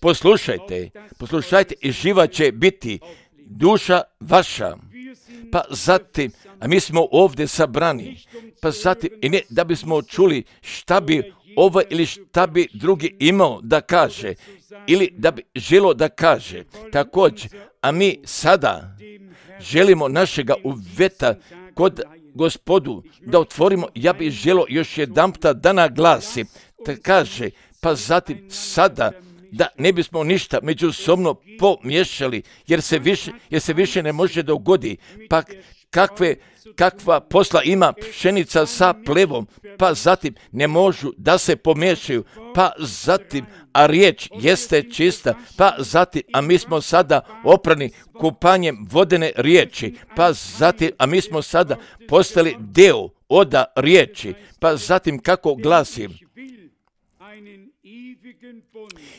Poslušajte, poslušajte i živa će biti duša vaša. Pa zatim, a mi smo ovdje sabrani, pa zatim, i ne da bismo čuli šta bi ovaj ili šta bi drugi imao da kaže, ili da bi želo da kaže. Također, a mi sada želimo našega uveta kod Gospodu da otvorimo, ja bih želo još jedanputa da naglasi, da kaže, pa zatim sada da ne bismo ništa međusobno pomiješali, jer se više, jer se više ne može dogodi, pa kakve, kakva posla ima pšenica sa plevom, pa zatim ne možu da se pomiješaju, pa zatim, a riječ jeste čista, pa zatim, a mi smo sada oprani kupanjem vodene riječi, pa zatim, a mi smo sada postali deo oda riječi, pa zatim kako glasi,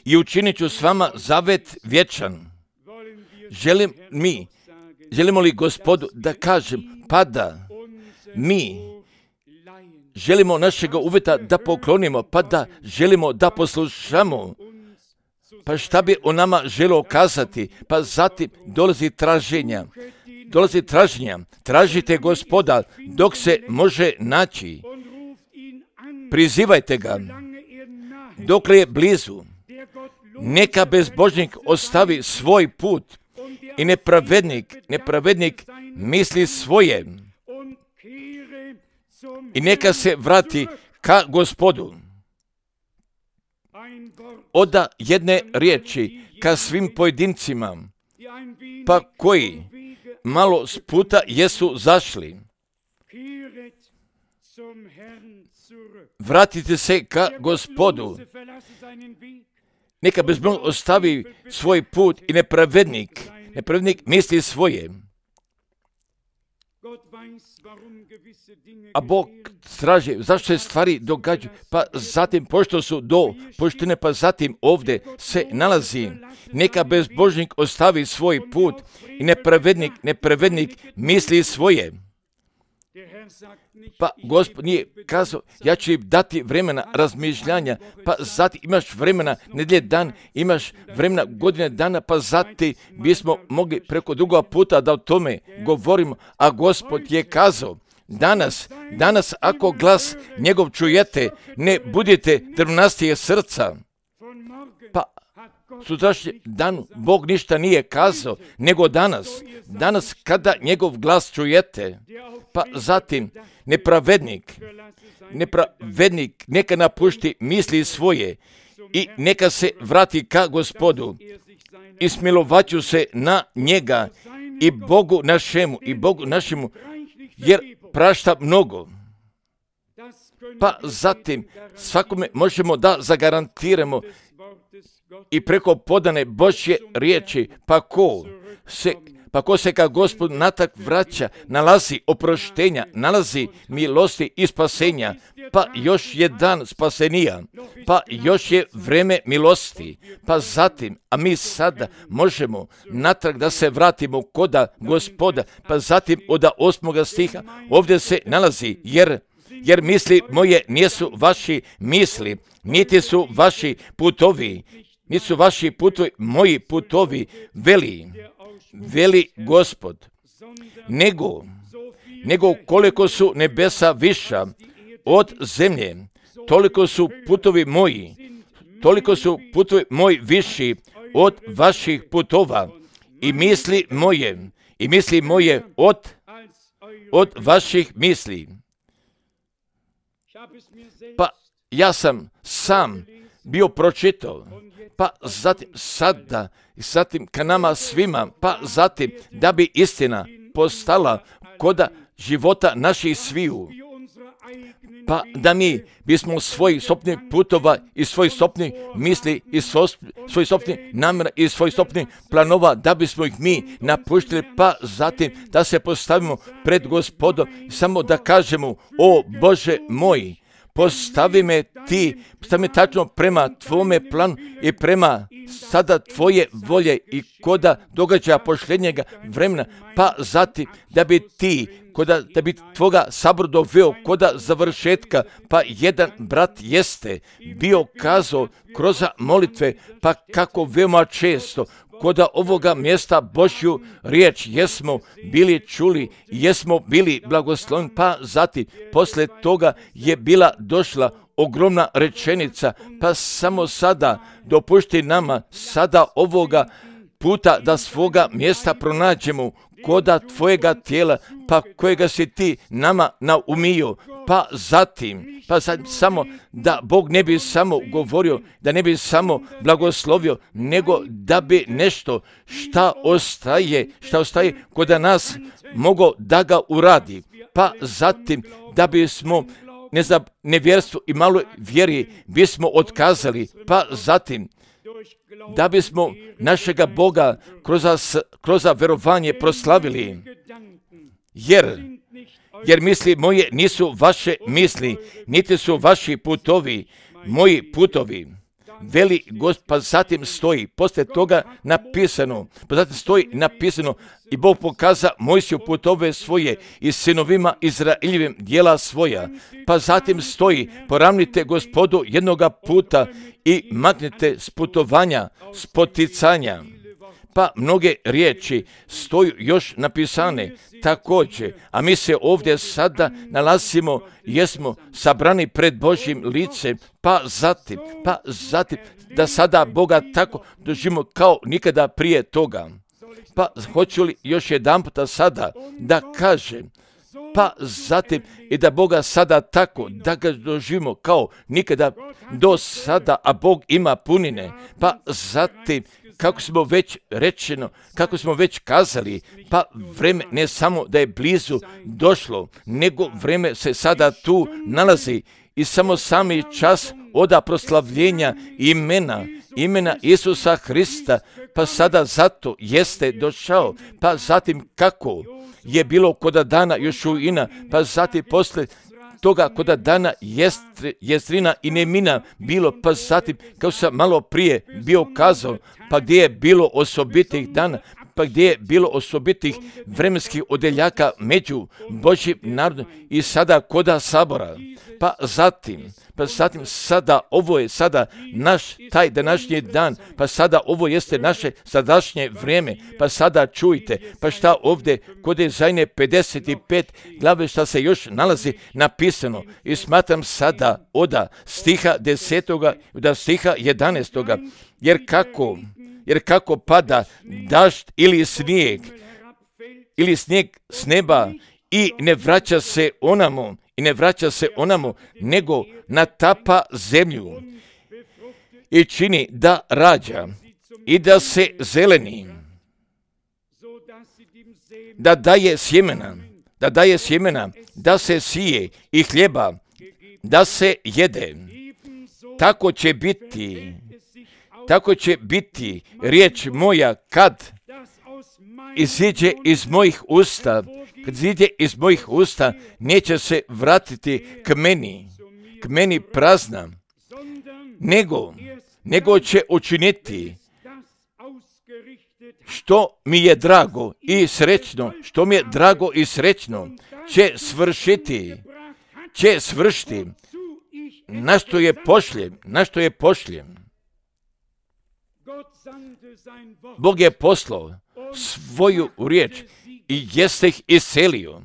i učinit ću s vama zavet vječan. Želim mi, želimo li Gospodu da kažem, pa da mi želimo našega uveta da poklonimo, pa da želimo da poslušamo, pa šta bi o nama želio kazati, pa zatim dolazi traženja, dolazi traženja, tražite Gospoda dok se može naći, prizivajte ga, dokle je blizu, neka bezbožnik ostavi svoj put i nepravednik, nepravednik misli svoje i neka se vrati ka Gospodu. Oda jedne riječi ka svim pojedincima, pa koji malo s puta jesu zašli. Vratite se ka Gospodu. Neka bezbožnik ostavi svoj put i nepravednik, nepravednik misli svoje. A Bog straže, zašto se stvari događaju? Pa zatim, pošto su do poštene, pa zatim ovdje se nalazi. Neka bezbožnik ostavi svoj put i nepravednik, nepravednik misli svoje. Pa Gospod nije kazao, ja ću im dati vremena razmišljanja, pa zatim imaš vremena nedjelje dan, imaš vremena godine dana, pa zatim bismo mogli preko druga puta da o tome govorimo, a Gospod je kazao, danas, danas ako glas njegov čujete, ne budite drvnastije srca. Pa sutrašnji dan Bog ništa nije kazao, nego danas, danas kada njegov glas čujete, pa zatim nepravednik, nepravednik neka napušti misli svoje i neka se vrati ka Gospodu i smilovaću se na njega i Bogu našemu i Bogu našemu, jer prašta mnogo. Pa zatim svakome možemo da zagarantiramo i preko podane Božje riječi, pa ko se, pa ko se ka Gospodu natak vraća, nalazi oproštenja, nalazi milosti i spasenja, pa još je dan spasenija, pa još je vreme milosti, pa zatim, a mi sada možemo natrag da se vratimo koda Gospoda, pa zatim od osmoga stiha ovdje se nalazi, jer jer misli moje nisu vaši misli, niti su vaši putovi, niti su vaši putovi moji putovi, veli, veli Gospod, nego, nego koliko su nebesa viša od zemlje, toliko su putovi moji, toliko su putovi moji viši od vaših putova i misli moje, i misli moje od, od vaših misli. Pa ja sam sam bio pročitao, pa zatim sada, i zatim ka nama svima, pa zatim da bi istina postala koda života naših sviju. Pa da mi bismo svojih sopnih putova i svojih sopnih misli i svojih sopnih namjera i svojih sopnih planova, da bismo ih mi napuštili, pa zatim da se postavimo pred Gospodom i samo da kažemo: o Bože moj, postavi me ti, postavi me tačno prema tvome planu i prema sada tvoje volje i koda događaja posljednjega vremena, pa zatim da bi ti, koda, da bi tvoga sabor doveo koda završetka, pa jedan brat jeste bio kazao kroz molitve, pa kako veoma često koda ovoga mjesta Božju riječ jesmo bili čuli, jesmo bili blagosloveni, pa zatim posle toga je bila došla ogromna rečenica, pa samo sada dopušti nama sada ovoga puta da svoga mjesta pronađemo koda tvojega tijela, pa kojega si ti nama naumio, pa zatim, pa zatim samo da Bog ne bi samo govorio, da ne bi samo blagoslovio, nego da bi nešto šta ostaje, šta ostaje koda nas mogo da ga uradi, pa zatim da bismo ne za nevjerstvo i malo vjeri bismo otkazali, pa zatim da bismo našega Boga kroz, kroz verovanje proslavili, jer, jer misli moje nisu vaše misli, niti su vaši putovi, moji putovi. Veli Gospod, pa zatim stoji, poslije toga napisano, pa zatim stoji napisano i Bog pokaza Mojsiju putove svoje i sinovima Izraeljevim djela svoja. Pa zatim stoji, poravnite Gospodu jednoga puta i maknite s putovanja, s poticanja. Pa mnoge riječi stoju još napisane također, a mi se ovdje sada nalazimo, jesmo sabrani pred Božjim licem, pa zatim, pa zatim da sada Boga tako doživimo kao nikada prije toga. Pa hoću li još jedan puta sada da kažem, pa zatim i da Boga sada tako, da ga doživimo kao nikada do sada, a Bog ima punine, pa zatim kako smo već rečeno, kako smo već kazali, pa vreme ne samo da je blizu došlo, nego vreme se sada tu nalazi i samo sami čas oda proslavljenja imena, imena Isusa Hrista, pa sada zato jeste došao, pa zatim kako je bilo koda dana Jošuina, pa zatim posle toga koda dana Jestri, Jestrina i Nemina bilo, pa zatim kao sam malo prije bio kazao, pa gdje je bilo osobitih dana, pa gdje je bilo osobitih vremenskih odeljaka među Božjim narodom i sada koda sabora, pa zatim, pa zatim sada, ovo je sada naš taj današnji dan, pa sada ovo jeste naše sadašnje vrijeme, pa sada čujte, pa šta ovdje kod Ezajne pedeset pet glave šta se još nalazi napisano i smatram sada oda stiha desetoga do stiha jedanaestoga, jer kako, jer kako pada dažd ili snijeg, ili snijeg s neba i ne vraća se onamo, i ne vraća se onamo, nego natapa zemlju i čini da rađa i da se zeleni, da daje sjemena, da daje sjemena, da se sije i hljeba, da se jede. Tako će biti, tako će biti riječ moja kad iziđe iz mojih usta, kad iziđe iz mojih usta, neće se vratiti k meni, k meni prazna, nego, nego će učiniti što mi je drago i srećno, što mi je drago i srećno, će svršiti, će svršiti, na što je pošljem, na što je pošljem. Bog je poslao svoju riječ i jeste ih iselio.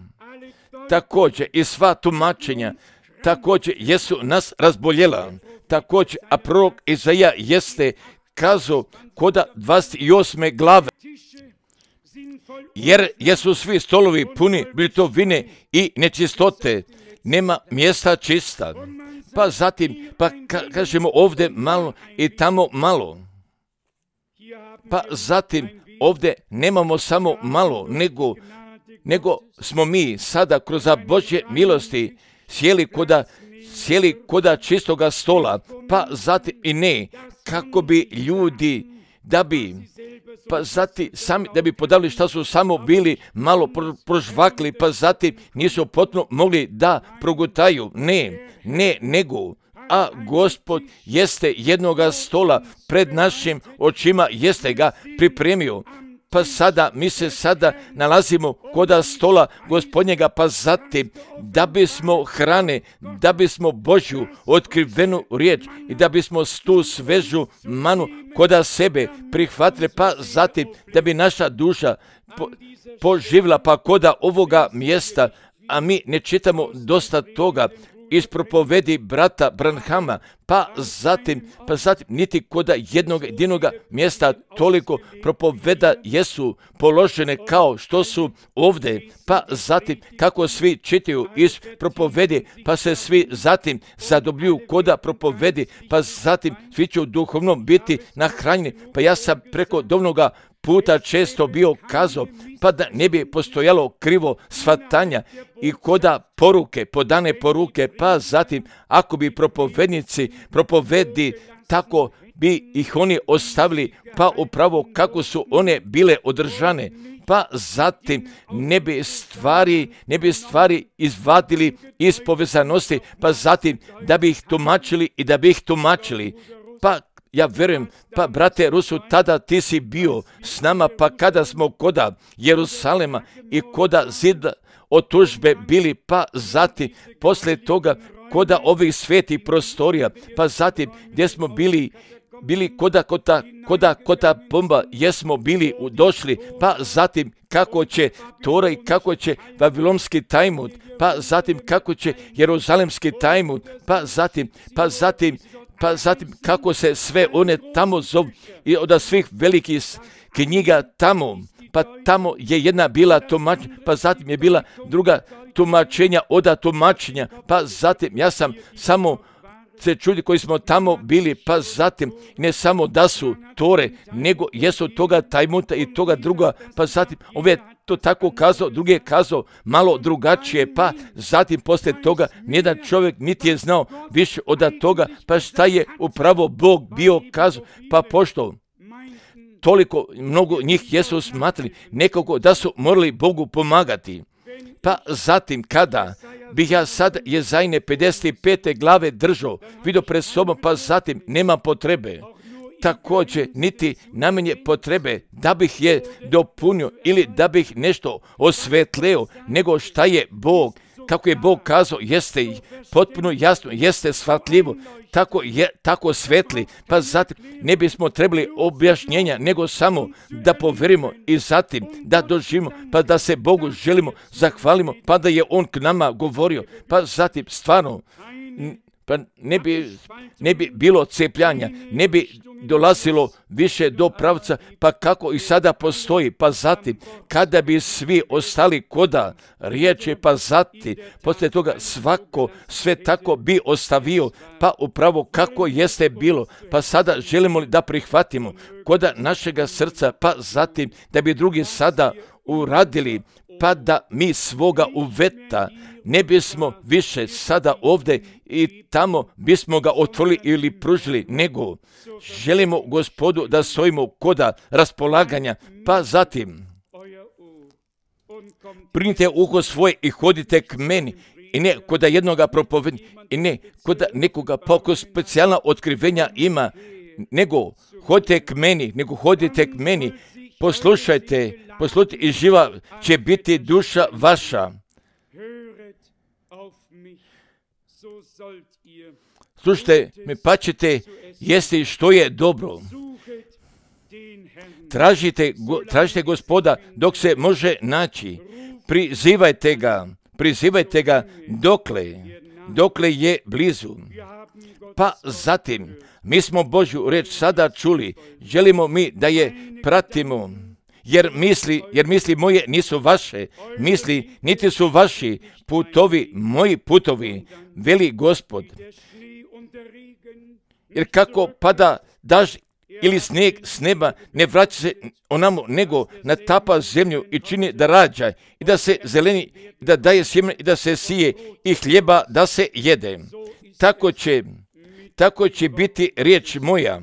Također i sva tumačenja također jesu nas razboljela. Također, a prorok Izaija jeste kazao koda dvadeset osme glave, jer jesu svi stolovi puni biltovine i nečistote, nema mjesta čista. Pa zatim, pa ka- kažemo ovdje malo i tamo malo. Pa zatim, ovdje nemamo samo malo, nego, nego smo mi sada kroz Božje milosti sjeli koda, sjeli koda čistoga stola, pa zatim i ne, kako bi ljudi, da bi, pa zatim sami, da bi podali šta su samo bili malo pro, prožvakli, pa zatim nisu potpuno mogli da progutaju, ne, ne, nego, a Gospod jeste jednoga stola pred našim očima, jeste ga pripremio. Pa sada, mi se sada nalazimo koda stola Gospodnjega, pa zatim da bismo hrane, da bismo Božju otkrivenu riječ i da bismo tu svežu manu koda sebe prihvatili, pa zatim da bi naša duša po, poživla, pa koda ovoga mjesta, a mi ne čitamo dosta toga iz propovedi brata Branhama, pa zatim, pa zatim niti koda jednog jedinoga mjesta toliko propoveda jesu položene kao što su ovdje, pa zatim kako svi čitaju iz propovedi, pa se svi zatim zadobljuju koda propovedi, pa zatim svi će u duhovnom biti nahranjeni. Pa ja sam preko dovnoga puta često bio kazao, pa da ne bi postojalo krivo shvatanja i koda poruke, podane poruke, pa zatim ako bi propovednici propovedi tako bi ih oni ostavili, pa upravo kako su one bile održane, pa zatim ne bi stvari, ne bi stvari izvadili iz povezanosti, pa zatim da bi ih tumačili i da bi ih tumačili, pa ja vjerujem, pa brate Rusu, tada ti si bio s nama, pa kada smo koda Jerusalema i koda zida od tužbe bili, pa zatim poslije toga koda ovih svetih prostorija, pa zatim gdje smo bili, bili koda kota, koda kota pomba, jesmo bili došli, pa zatim kako će Tora i kako će Vavilonski Talmud, pa zatim kako će Jeruzalemski Talmud, pa zatim, pa zatim, pa zatim kako se sve one tamo zovu i od svih velikih knjiga tamo, pa tamo je jedna bila tumačenja, pa zatim je bila druga tumačenja oda tumačenja, pa zatim ja sam samo se čudi koji smo tamo bili, pa zatim ne samo da su Tore, nego jesu toga Talmuda i toga druga, pa zatim ove to tako kazao, drugi je kazao malo drugačije, pa zatim poslije toga nijedan čovjek niti je znao više od toga, pa šta je upravo Bog bio kazao, pa pošto toliko mnogo njih jesu smatrali nekako da su morali Bogu pomagati. Pa zatim kada bih ja sad Jezajine pedeset pete glave držao, vidio pred sobom, pa zatim nema potrebe, također niti najmanje potrebe da bih je dopunio ili da bih nešto osvetlio, nego šta je Bog, kako je Bog kazao, jeste potpuno jasno, jeste shvatljivo, tako je, tako svetli, pa zatim ne bismo trebali objašnjenja, nego samo da povjerimo i zatim da doživimo, pa da se Bogu želimo, zahvalimo, pa da je On k nama govorio, pa zatim stvarno pa ne bi, ne bi bilo cepljanja, ne bi dolazilo više do pravca, pa kako i sada postoji, pa zatim kada bi svi ostali koda riječi, pa zatim poslije toga svako sve tako bi ostavio, pa upravo kako jeste bilo, pa sada želimo li da prihvatimo koda našega srca, pa zatim da bi drugi sada uradili, pa da mi svoga uveta ne bismo više sada ovdje i tamo bismo ga otvorili ili pružili, nego želimo Gospodu da stojimo koda raspolaganja, pa zatim primite uho svoje i hodite k meni, i ne koda jednoga propovednika, i ne koda nekoga poko specijalna otkrivenja ima, nego hodite k meni, nego hodite k meni, poslušajte, poslušajte i živa će biti duša vaša. Slušajte me, pa ćete jesti što je dobro. Tražite, go, tražite Gospoda dok se može naći. Prizivajte ga, prizivajte ga dokle, dokle je blizu. Pa zatim, mi smo Božju reč sada čuli, želimo mi da je pratimo, jer misli, jer misli moje nisu vaše, misli niti su vaši putovi, moji putovi, veli Gospod. Jer kako pada dažď ili snijeg s neba, ne vraća se onamo, nego natapa zemlju i čini da rađa i da se zeleni, i da daje sjeme i da se sije i hljeba da se jede. Tako će, tako će biti riječ moja,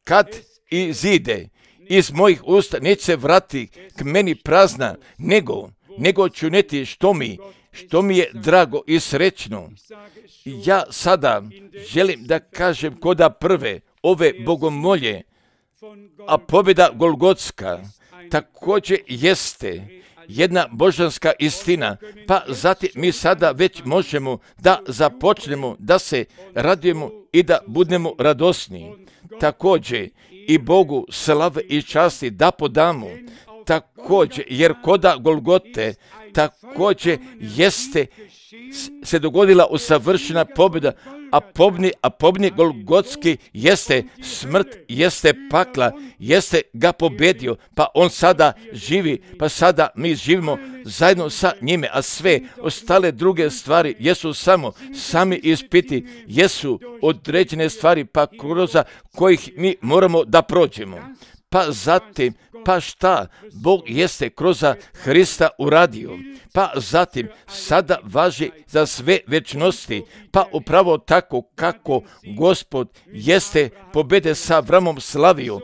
kad izide iz mojih usta, neće se vrati k meni prazna, nego, nego ću neti što mi, što mi je drago i srećno. Ja sada želim da kažem koda prve ove bogomolje, a pobjeda Golgotska također jeste jedna božanska istina, pa zatim mi sada već možemo da započnemo, da se radujemo i da budemo radosni. Također i Bogu slave i časti da podamo, također, jer koda Golgote također jeste se dogodila usavršena pobjeda, a pobni, a pobni Golgotski jeste smrt, jeste pakla, jeste ga pobjedio, pa on sada živi, pa sada mi živimo zajedno sa njime, a sve ostale druge stvari jesu samo sami ispiti, jesu određene stvari, pa kroz kojih mi moramo da prođemo. Pa zatim, pa šta Bog jeste kroz Hrista uradio, pa zatim sada važi za sve večnosti, pa upravo tako kako Gospod jeste pobjede sa Avramom slavio,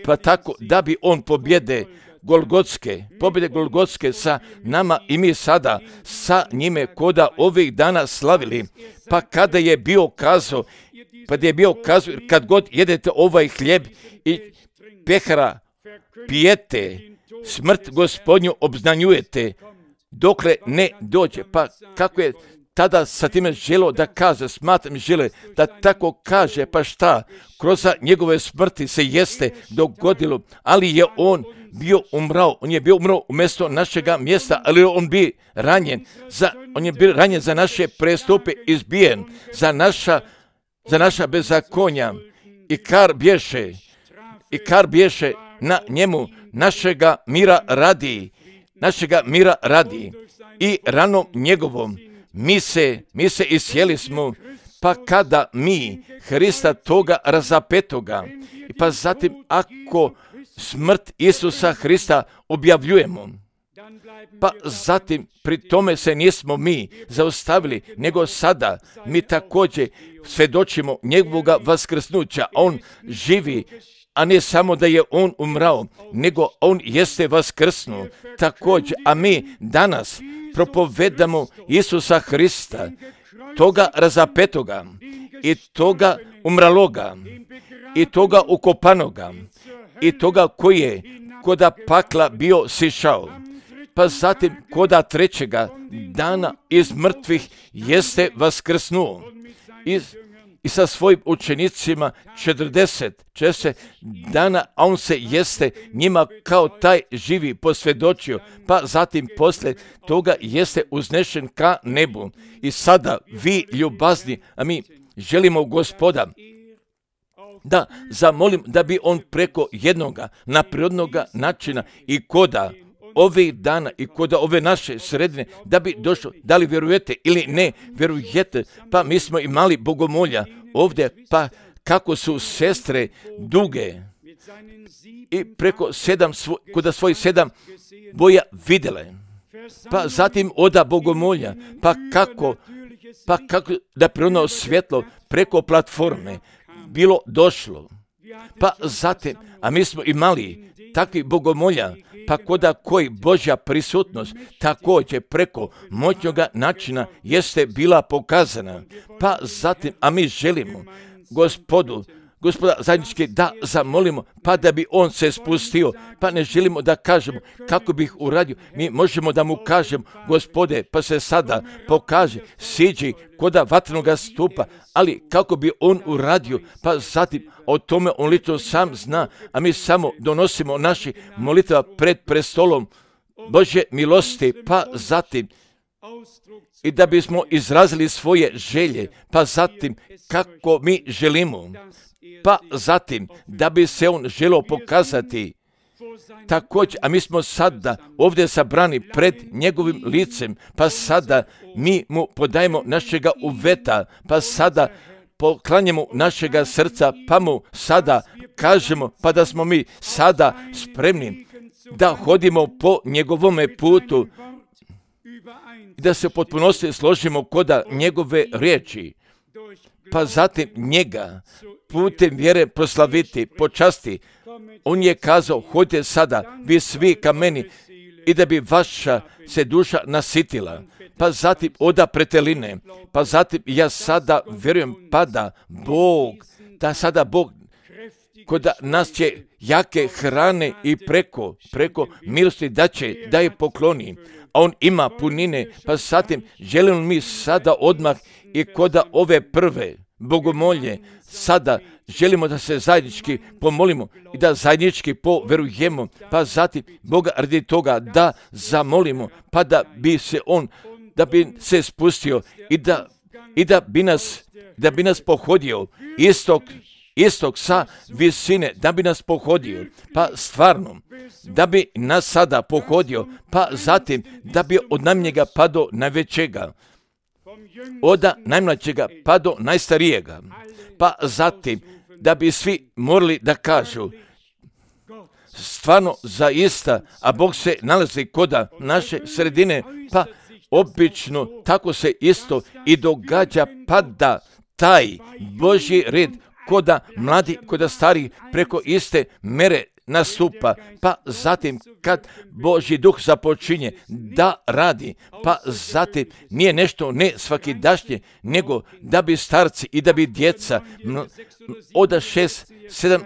pa tako da bi on pobjede Golgotske, pobjede Golgotske sa nama i mi sada sa njime koda ovih dana slavili, pa kada je bio kazao, pa da je bio kazao, kad god jedete ovaj hljeb i pehara pijete, smrt Gospodnju obznanjujete, dokle ne dođe. Pa kako je tada sa time želio da kaže, smatram žele da tako kaže, pa šta, kroz njegove smrti se jeste dogodilo, ali je on bio umrao, on je bio umrao umjesto našega mjesta, ali on bi ranjen, za, on je bio ranjen za naše prestupe, izbijen, za naša, za naša bezakonja, i kar bješe, i kar bješe na njemu našega mira radi, našega mira radi i ranom njegovom mi se, mi se isjeli smo, pa kada mi Hrista toga razapetoga, pa zatim ako smrt Isusa Hrista objavljujemo, pa zatim pri tome se nismo mi zaustavili, nego sada mi također svjedočimo njegovoga vaskrsnuća, on živi, a ne samo da je on umrao, nego on jeste vaskrsnuo također, a mi danas propovedamo Isusa Hrista, toga razapetoga i toga umraloga i toga ukopanoga i toga koji je koda pakla bio sišao, pa zatim koda trećega dana iz mrtvih jeste vaskrsnuo iz i sa svojim učenicima četrdeset dana, a on se jeste njima kao taj živi posvjedočio, pa zatim poslije toga jeste uznešen ka nebu. I sada vi ljubazni, a mi želimo Gospoda da zamolim da bi on preko jednoga naprirodnoga načina i koda ovih dana i koda ove naše sredine, da bi došlo, da li vjerujete ili ne vjerujete, pa mi smo imali bogomolja ovdje, pa kako su sestre duge i preko sedam, svo, koda svojih sedam boja vidjele, pa zatim oda bogomolja, pa kako, pa kako da preno svjetlo preko platforme bilo došlo, pa zatim, a mi smo imali takvi bogomolja, pa koda koji Božja prisutnost također preko moćnoga načina jeste bila pokazana, pa zatim, a mi želimo Gospodu, Gospoda zajednički da zamolimo, pa da bi on se spustio, pa ne želimo da kažemo kako bih uradio, mi možemo da mu kažemo, Gospode, pa se sada pokaže, siđi koda vatrenoga stupa, ali kako bi on uradio, pa zatim o tome on lično sam zna, a mi samo donosimo naši molitva pred prestolom Božje milosti, pa zatim i da bismo izrazili svoje želje, pa zatim kako mi želimo, pa zatim da bi se on želio pokazati također, a mi smo sada ovdje sabrani pred njegovim licem, pa sada mi mu podajemo našega uveta, pa sada poklanjamo našega srca, pa mu sada kažemo, pa da smo mi sada spremni da hodimo po njegovome putu i da se u potpunosti složimo koda njegove riječi, pa zatim njega putem vjere proslaviti, počasti. On je kazao, hodite sada, vi svi ka meni, i da bi vaša se duša nasitila. Pa zatim oda preteline, pa zatim ja sada vjerujem, pa da Bog, da sada Bog kod nas će jake hrane i preko, preko milosti da će, da je pokloni. A on ima punine, pa zatim želimo mi sada odmah i kod ove prve bogomolje, sada želimo da se zajednički pomolimo i da zajednički poverujemo, pa zatim Boga radi toga da zamolimo, pa da bi se on, da bi se spustio i da, i da bi nas, da bi nas pohodio istog, istog sa visine, da bi nas pohodio, pa stvarno, da bi nas sada pohodio, pa zatim da bi od najmnjega pa do najvećega, od najmlađega pa do najstarijega, pa zatim da bi svi morali da kažu stvarno zaista, a Bog se nalazi koda naše sredine, pa obično tako se isto i događa, pa da taj Božji red koda mladi, koda stari preko iste mere nastupa, pa zatim kad Božji duh započinje da radi, pa zatim nije nešto ne svakidašnje, nego da bi starci i da bi djeca od šest, sedam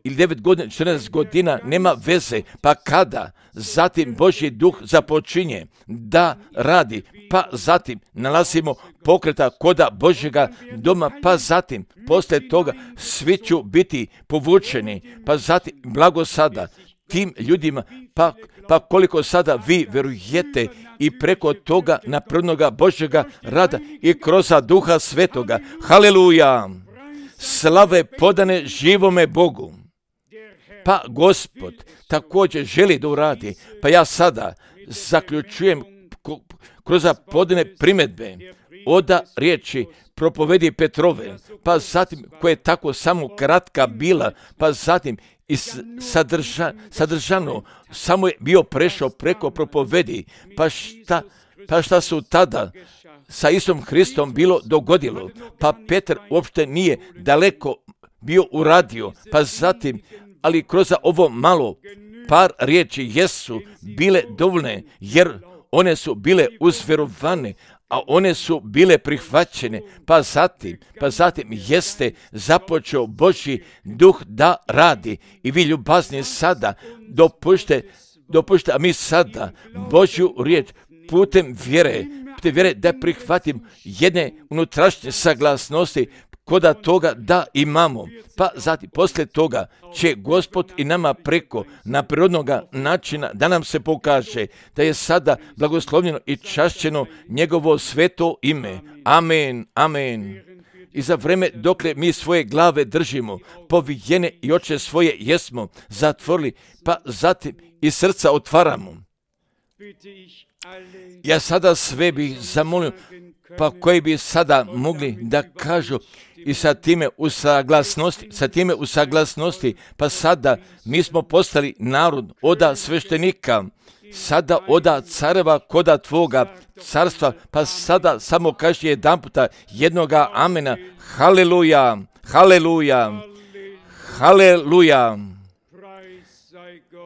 ili devet godina, četrnaest godina, nema veze, pa kada zatim Božji duh započinje da radi, pa zatim nalazimo pokreta koda Božjega doma, pa zatim poslije toga svi ću biti povučeni, pa zatim blago sada tim ljudima, pa, pa koliko sada vi verujete i preko toga napravnoga Božjega rada i kroz Duha Svetoga. Haleluja! Slave podane živome Bogu. Pa Gospod također želi da uradi, pa ja sada zaključujem kroz podane primjedbe oda riječi propovedi Petrove, pa zatim koja je tako samo kratka bila, pa zatim i sadrža, sadržano samo je bio prešao preko propovedi, pa šta, pa šta su tada sa Isusom Hristom bilo dogodilo, pa Petar uopšte nije daleko bio uradio, pa zatim ali kroz ovo malo par riječi jesu bile dovoljne, jer one su bile uzverovane, a one su bile prihvaćene, pa zatim, pa zatim jeste započeo Božji duh da radi. I vi ljubazni sada dopušte, dopušte, a mi sada Božju riječ putem vjere, putem vjere da prihvatim jedne unutrašnje saglasnosti koda toga da imamo, pa zatim poslije toga će Gospod i nama preko na prirodnoga načina da nam se pokaže da je sada blagoslovljeno i čašćeno njegovo sveto ime. Amen, amen. I za vreme dokle mi svoje glave držimo, povijene i oči svoje jesmo zatvorili, pa zatim i srca otvaramo. Ja sada sve bih zamolio, pa koji bi sada mogli da kažu i sa time u saglasnosti, sa time u saglasnosti, pa sada mi smo postali narod oda sveštenika, sada oda careva koda tvoga carstva, pa sada samo kaži jedan puta jednoga amena. Haleluja, haleluja, haleluja.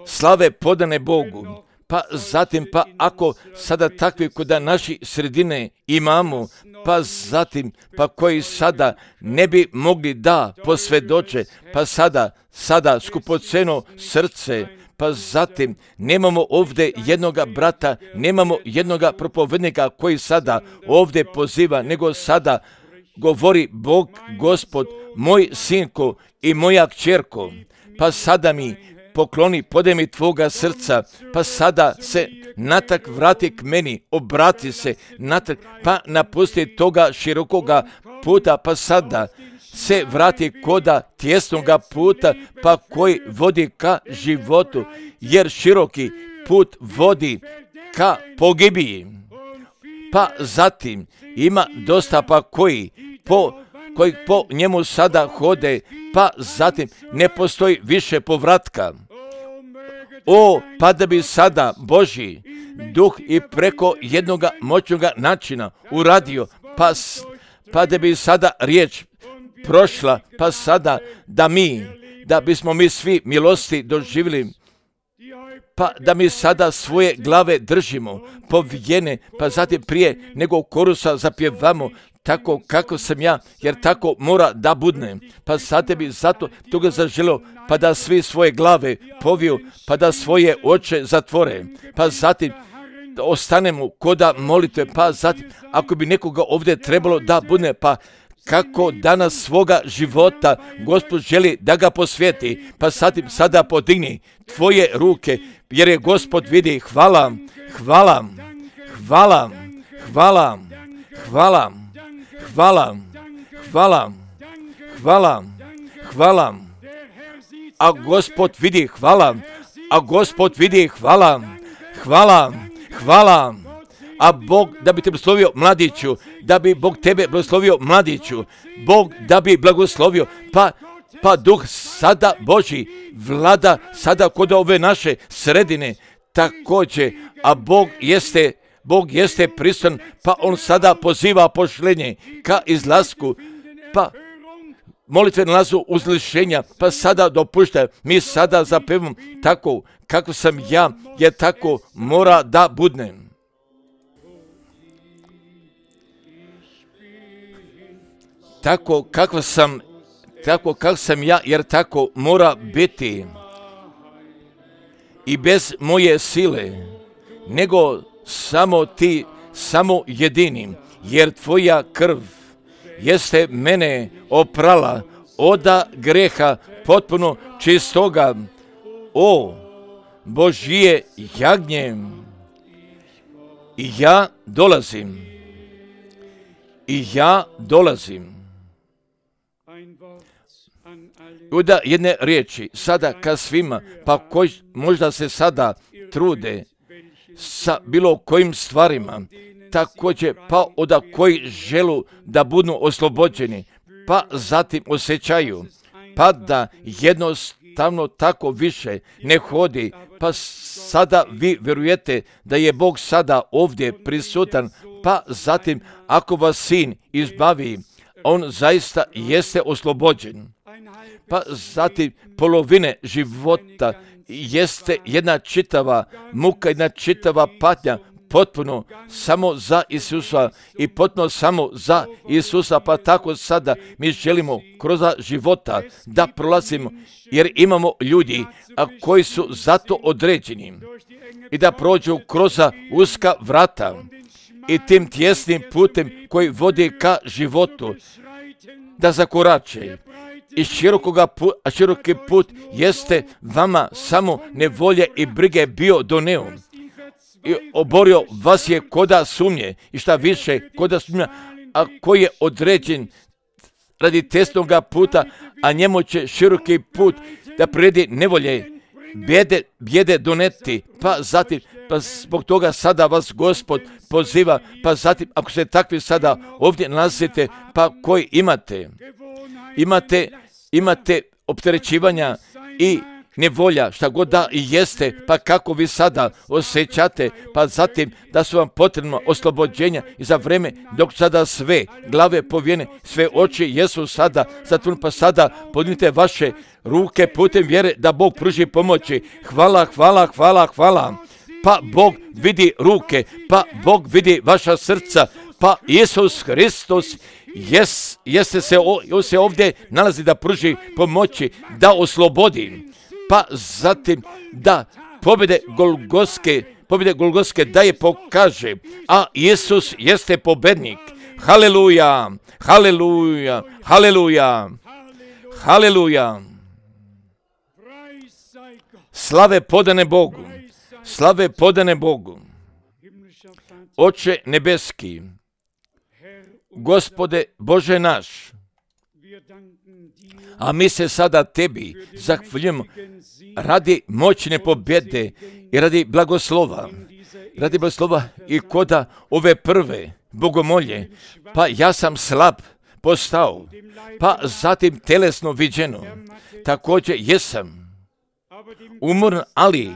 Slave podane Bogu. Pa zatim, pa ako sada takvi koda naši sredine imamo, pa zatim, pa koji sada ne bi mogli da posvjedoče, pa sada, sada skupoceno srce, pa zatim nemamo ovdje jednoga brata, nemamo jednoga propovednika koji sada ovdje poziva, nego sada govori Bog, Gospod, moj sinko i moja kćerko, pa sada mi pokloni, podaj mi tvoga srca, pa sada se natrag vrati k meni, obrati se natrag, pa napusti toga širokoga puta, pa sada se vrati koda tjesnoga puta, pa koji vodi ka životu, jer široki put vodi ka pogibiji. Pa zatim ima dosta pa koji po, koji po njemu sada hode, pa zatim ne postoji više povratka. O, pa da bi sada Božji duh i preko jednoga moćnoga načina uradio, pa, pa da bi sada riječ prošla, pa sada da mi, da bismo mi svi milosti doživjeli, pa da mi sada svoje glave držimo povijene, pa zatim prije nego korusa zapjevamo, tako kako sam ja, jer tako mora da budne. Pa sad bi zato toga zaželio, pa da svi svoje glave poviju, pa da svoje oči zatvore, pa zatim da ostanemo koda molitve, pa zatim ako bi nekoga ovdje trebalo da budne, pa kako danas svoga života Gospod želi da ga posvijeti, pa zatim sada podigni tvoje ruke, jer je Gospod vidi. Hvala, hvala, hvala, hvala, hvala, hvala, hvala, hvala, hvala, a Gospod vidi. Hvala, a Gospod vidi. Hvala, hvala, hvala. A Bog da bi te blagoslovio mladiću, da bi Bog tebe blagoslovio mladiću, Bog da bi blagoslovio, pa, pa duh sada Božji vlada sada kod ove naše sredine također, a Bog jeste, Bog jeste prisutan, pa on sada poziva pošlenje ka izlasku, pa molitve nalazu uzlišenja, pa sada dopušta, mi sada zapevamo tako kako sam ja, jer tako mora da budnem. Tako kako sam, tako kako sam ja, jer tako mora biti. I bez moje sile, nego samo ti, samo jedinim, jer tvoja krv jeste mene oprala oda greha potpuno čistoga. O, Božje jagnje, i ja dolazim, i ja dolazim. Uda jedne riječi, sada ka svima, pa koji možda se sada trude sa bilo kojim stvarima, također pa oda koji želu da budu oslobođeni, pa zatim osjećaju, pa da jednostavno tako više ne hodi, pa sada vi vjerujete da je Bog sada ovdje prisutan, pa zatim ako vas sin izbavi, on zaista jeste oslobođen. Pa zatim polovine života jeste jedna čitava muka, jedna čitava patnja, potpuno samo za Isusa i potpuno samo za Isusa, pa tako sada mi želimo kroz života da prolazimo, jer imamo ljudi a koji su zato određeni i da prođu kroz uska vrata i tim tjesnim putem koji vodi ka životu, da zakorače. I širokoga put, a široki put jeste vama samo nevolje i brige bio doneo. I oborio vas je koda sumnje i šta više koda sumnja, a koji je određen radi tesnoga puta, a njemu će široki put da predi nevolje, bjede, bjede doneti, pa zatim, pa zbog toga sada vas Gospod poziva, pa zatim ako se takvi sada ovdje nalazite, pa koji imate, imate, imate opterećivanja i nevolja, šta god da i jeste, pa kako vi sada osjećate, pa zatim da su vam potrebno oslobođenja i za vreme dok sada sve glave povijene, sve oči jesu sada zatvorene, pa sada podignite vaše ruke putem vjere da Bog pruži pomoći. Hvala, hvala, hvala, hvala. Pa Bog vidi ruke, pa Bog vidi vaša srca, pa Isus Hristos jes, jeste se, o, se ovdje nalazi da pruži pomoći, da oslobodi, pa zatim da pobjede Golgotske, pobjede Golgotske da je pokaže, a Isus jeste pobednik. Haleluja, haleluja, haleluja, haleluja. slave podane Bogu, slave podane Bogu. Oče nebeski, Gospode Bože naš, a mi se sada Tebi zahvaljujemo radi moćne pobjede i radi blagoslova, radi blagoslova i koda ove prve bogomolje, pa ja sam slab postao, pa zatim telesno viđeno, također jesam umoran, ali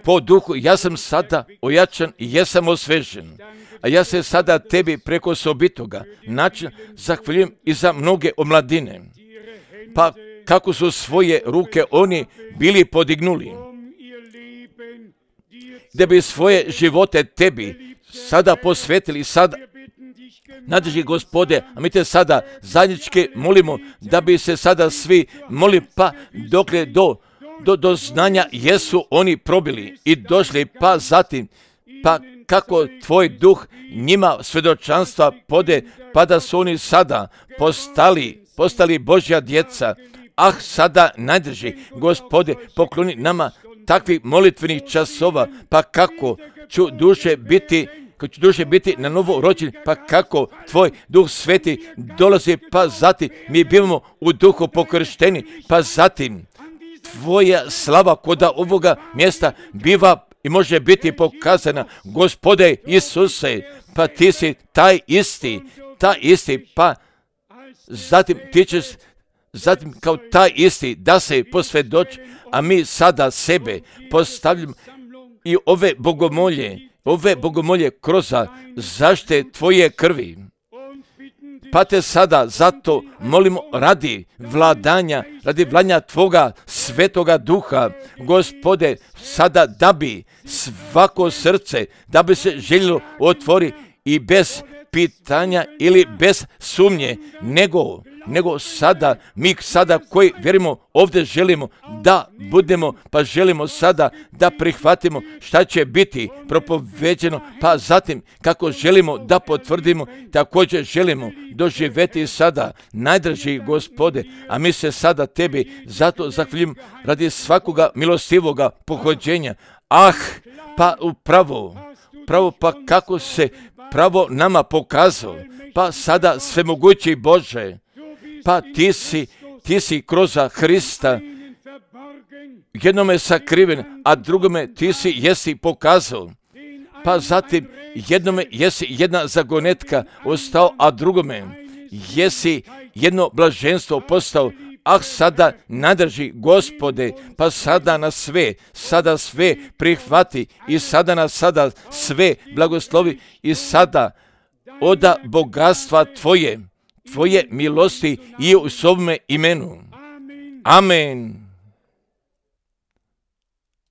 po duhu ja sam sada ojačan i jesam osvežen. A ja se sada Tebi preko osobitoga načina zahvaljujem i za mnoge omladine. Pa kako su svoje ruke oni bili podignuli, da bi svoje živote Tebi sada posvetili, sada nadrži Gospode, a mi Te sada zajednički molimo da bi se sada svi molili, pa dokle do, do, do znanja jesu oni probili i došli, pa zatim, pa kako Tvoj duh njima svjedočanstva pode, pa da su oni sada postali, postali Božja djeca. Ah, sada najdrži Gospode, pokloni nama takvih molitvenih časova, pa kako ću duše biti, kako ću duše biti na novo rođeni, pa kako Tvoj Duh Sveti dolazi, pa zatim mi bivamo u duhu pokršteni, pa zatim Tvoja slava koda ovoga mjesta biva i može biti pokazana. Gospode Isuse, pa Ti si taj isti, taj isti, pa zatim Ti ćeš, zatim kao taj isti da se posvjedoči, a mi sada sebe postavljamo i ove bogomolje, ove bogomolje kroz zaštite Tvoje krvi. Pa Te sada zato molimo radi vladanja, radi vladanja Tvoga svetoga duha, Gospode, sada da bi svako srce, da bi se željelo otvori i bez pitanja ili bez sumnje, nego, nego sada, mi sada koji vjerujemo ovdje želimo da budemo, pa želimo sada da prihvatimo šta će biti propoveđeno, pa zatim kako želimo da potvrdimo, također želimo doživjeti sada, najdraži Gospode, a mi se sada Tebi zato zahvaljujemo radi svakoga milostivoga pohođenja. Ah, pa upravo, pravo pa kako se pravo nama pokazao, pa sada svemogući Bože, pa ti si, ti si kroz Hrista jednome sakriven, a drugome ti si jesi pokazao, pa zatim jednome jesi jedna zagonetka ostao, a drugome jesi jedno blaženstvo postao. Ah, sada nadrži Gospode, pa sada nas sve, sada sve prihvati i sada nas sada sve blagoslovi i sada oda bogatstva Tvoje, Tvoje milosti i u svome imenu. Amen.